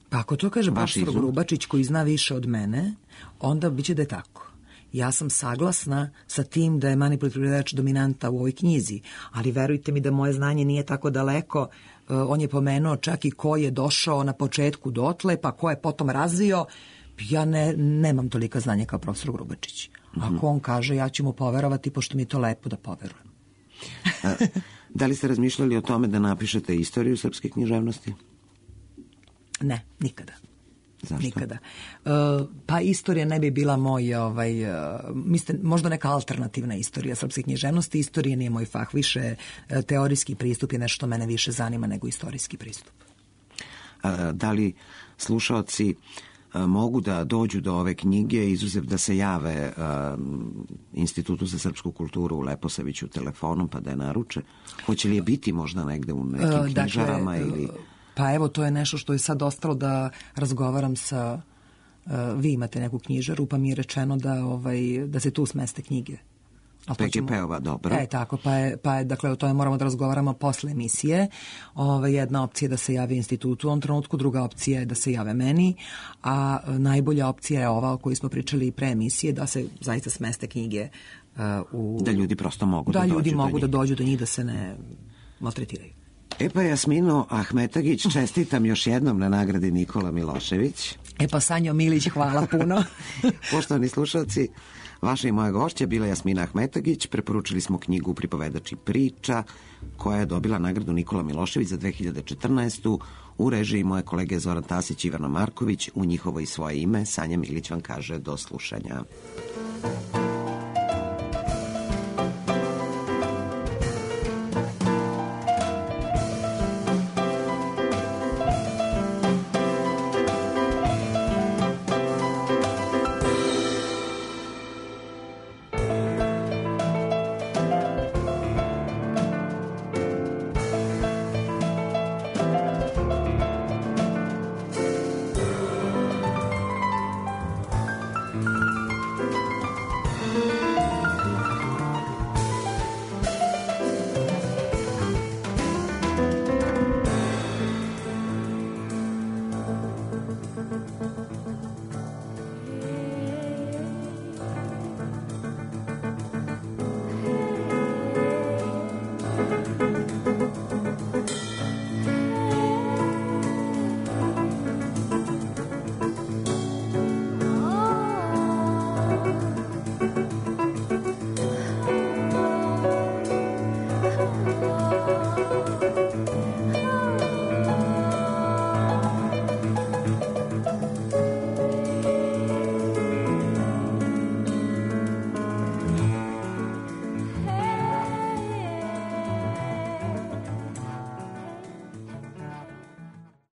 Pa ako to kaže profesor Grubačić koji zna više od mene, onda biće da je tako. Ja sam saglasna sa tim da je manipulativni pripovedač dominanta u ovoj knjizi, ali verujte mi da moje znanje nije tako daleko. On je pomenuo čak i ko je došao na početku dotle, pa ko je potom razvio. Ja ne, nemam tolika znanja kao profesor Grubačić. Ako on kaže, ja ću mu poverovati, pošto mi je to lepo da poverujem. A, da li ste razmišljali o tome da napišete istoriju srpske književnosti? Ne, nikada. Zašto? Nikada. Uh, pa istorija ne bi bila moj, ovaj, uh, mislim, možda neka alternativna istorija srpske književnosti. Istorija nije moj fah. Više uh, teorijski pristup je nešto što mene više zanima nego istorijski pristup. A, da li slušaoci a, mogu da dođu do ove knjige, izuzev da se jave a, Institutu za srpsku kulturu u Leposaviću telefonom pa da je naruče? Hoće li je biti možda negde u nekim uh, knjižarama dakle, ili... Pa evo, to je nešto što je sad ostalo da razgovaram sa... Uh, vi imate neku knjižaru, pa mi je rečeno da, ovaj, da se tu smeste knjige. P G P-ova, dobro. E, tako, pa je, pa je, dakle, o tome moramo da razgovaramo posle emisije. Ove, jedna opcija je da se javi institutu u ovom trenutku, druga opcija je da se jave meni, a najbolja opcija je ova o kojoj smo pričali pre emisije, da se zaista smeste knjige uh, u... Da ljudi prosto mogu da, da dođu ljudi mogu do da dođu do njih, da se ne maltretiraju. E pa Jasmino Ahmetagić, čestitam još jednom na nagradi Nikola Milošević. E pa Sanjo Milić, hvala puno. Poštovani slušalci, vaša i moja gošća bila Jasmina Ahmetagić. Preporučili smo knjigu Pripovedač i priča, koja je dobila nagradu Nikola Milošević za dve hiljade četrnaestu. U režiji moje kolege Zoran Tasić i Ivana Marković. U njihovo i svoje ime Sanja Milić vam kaže do slušanja. Thank you.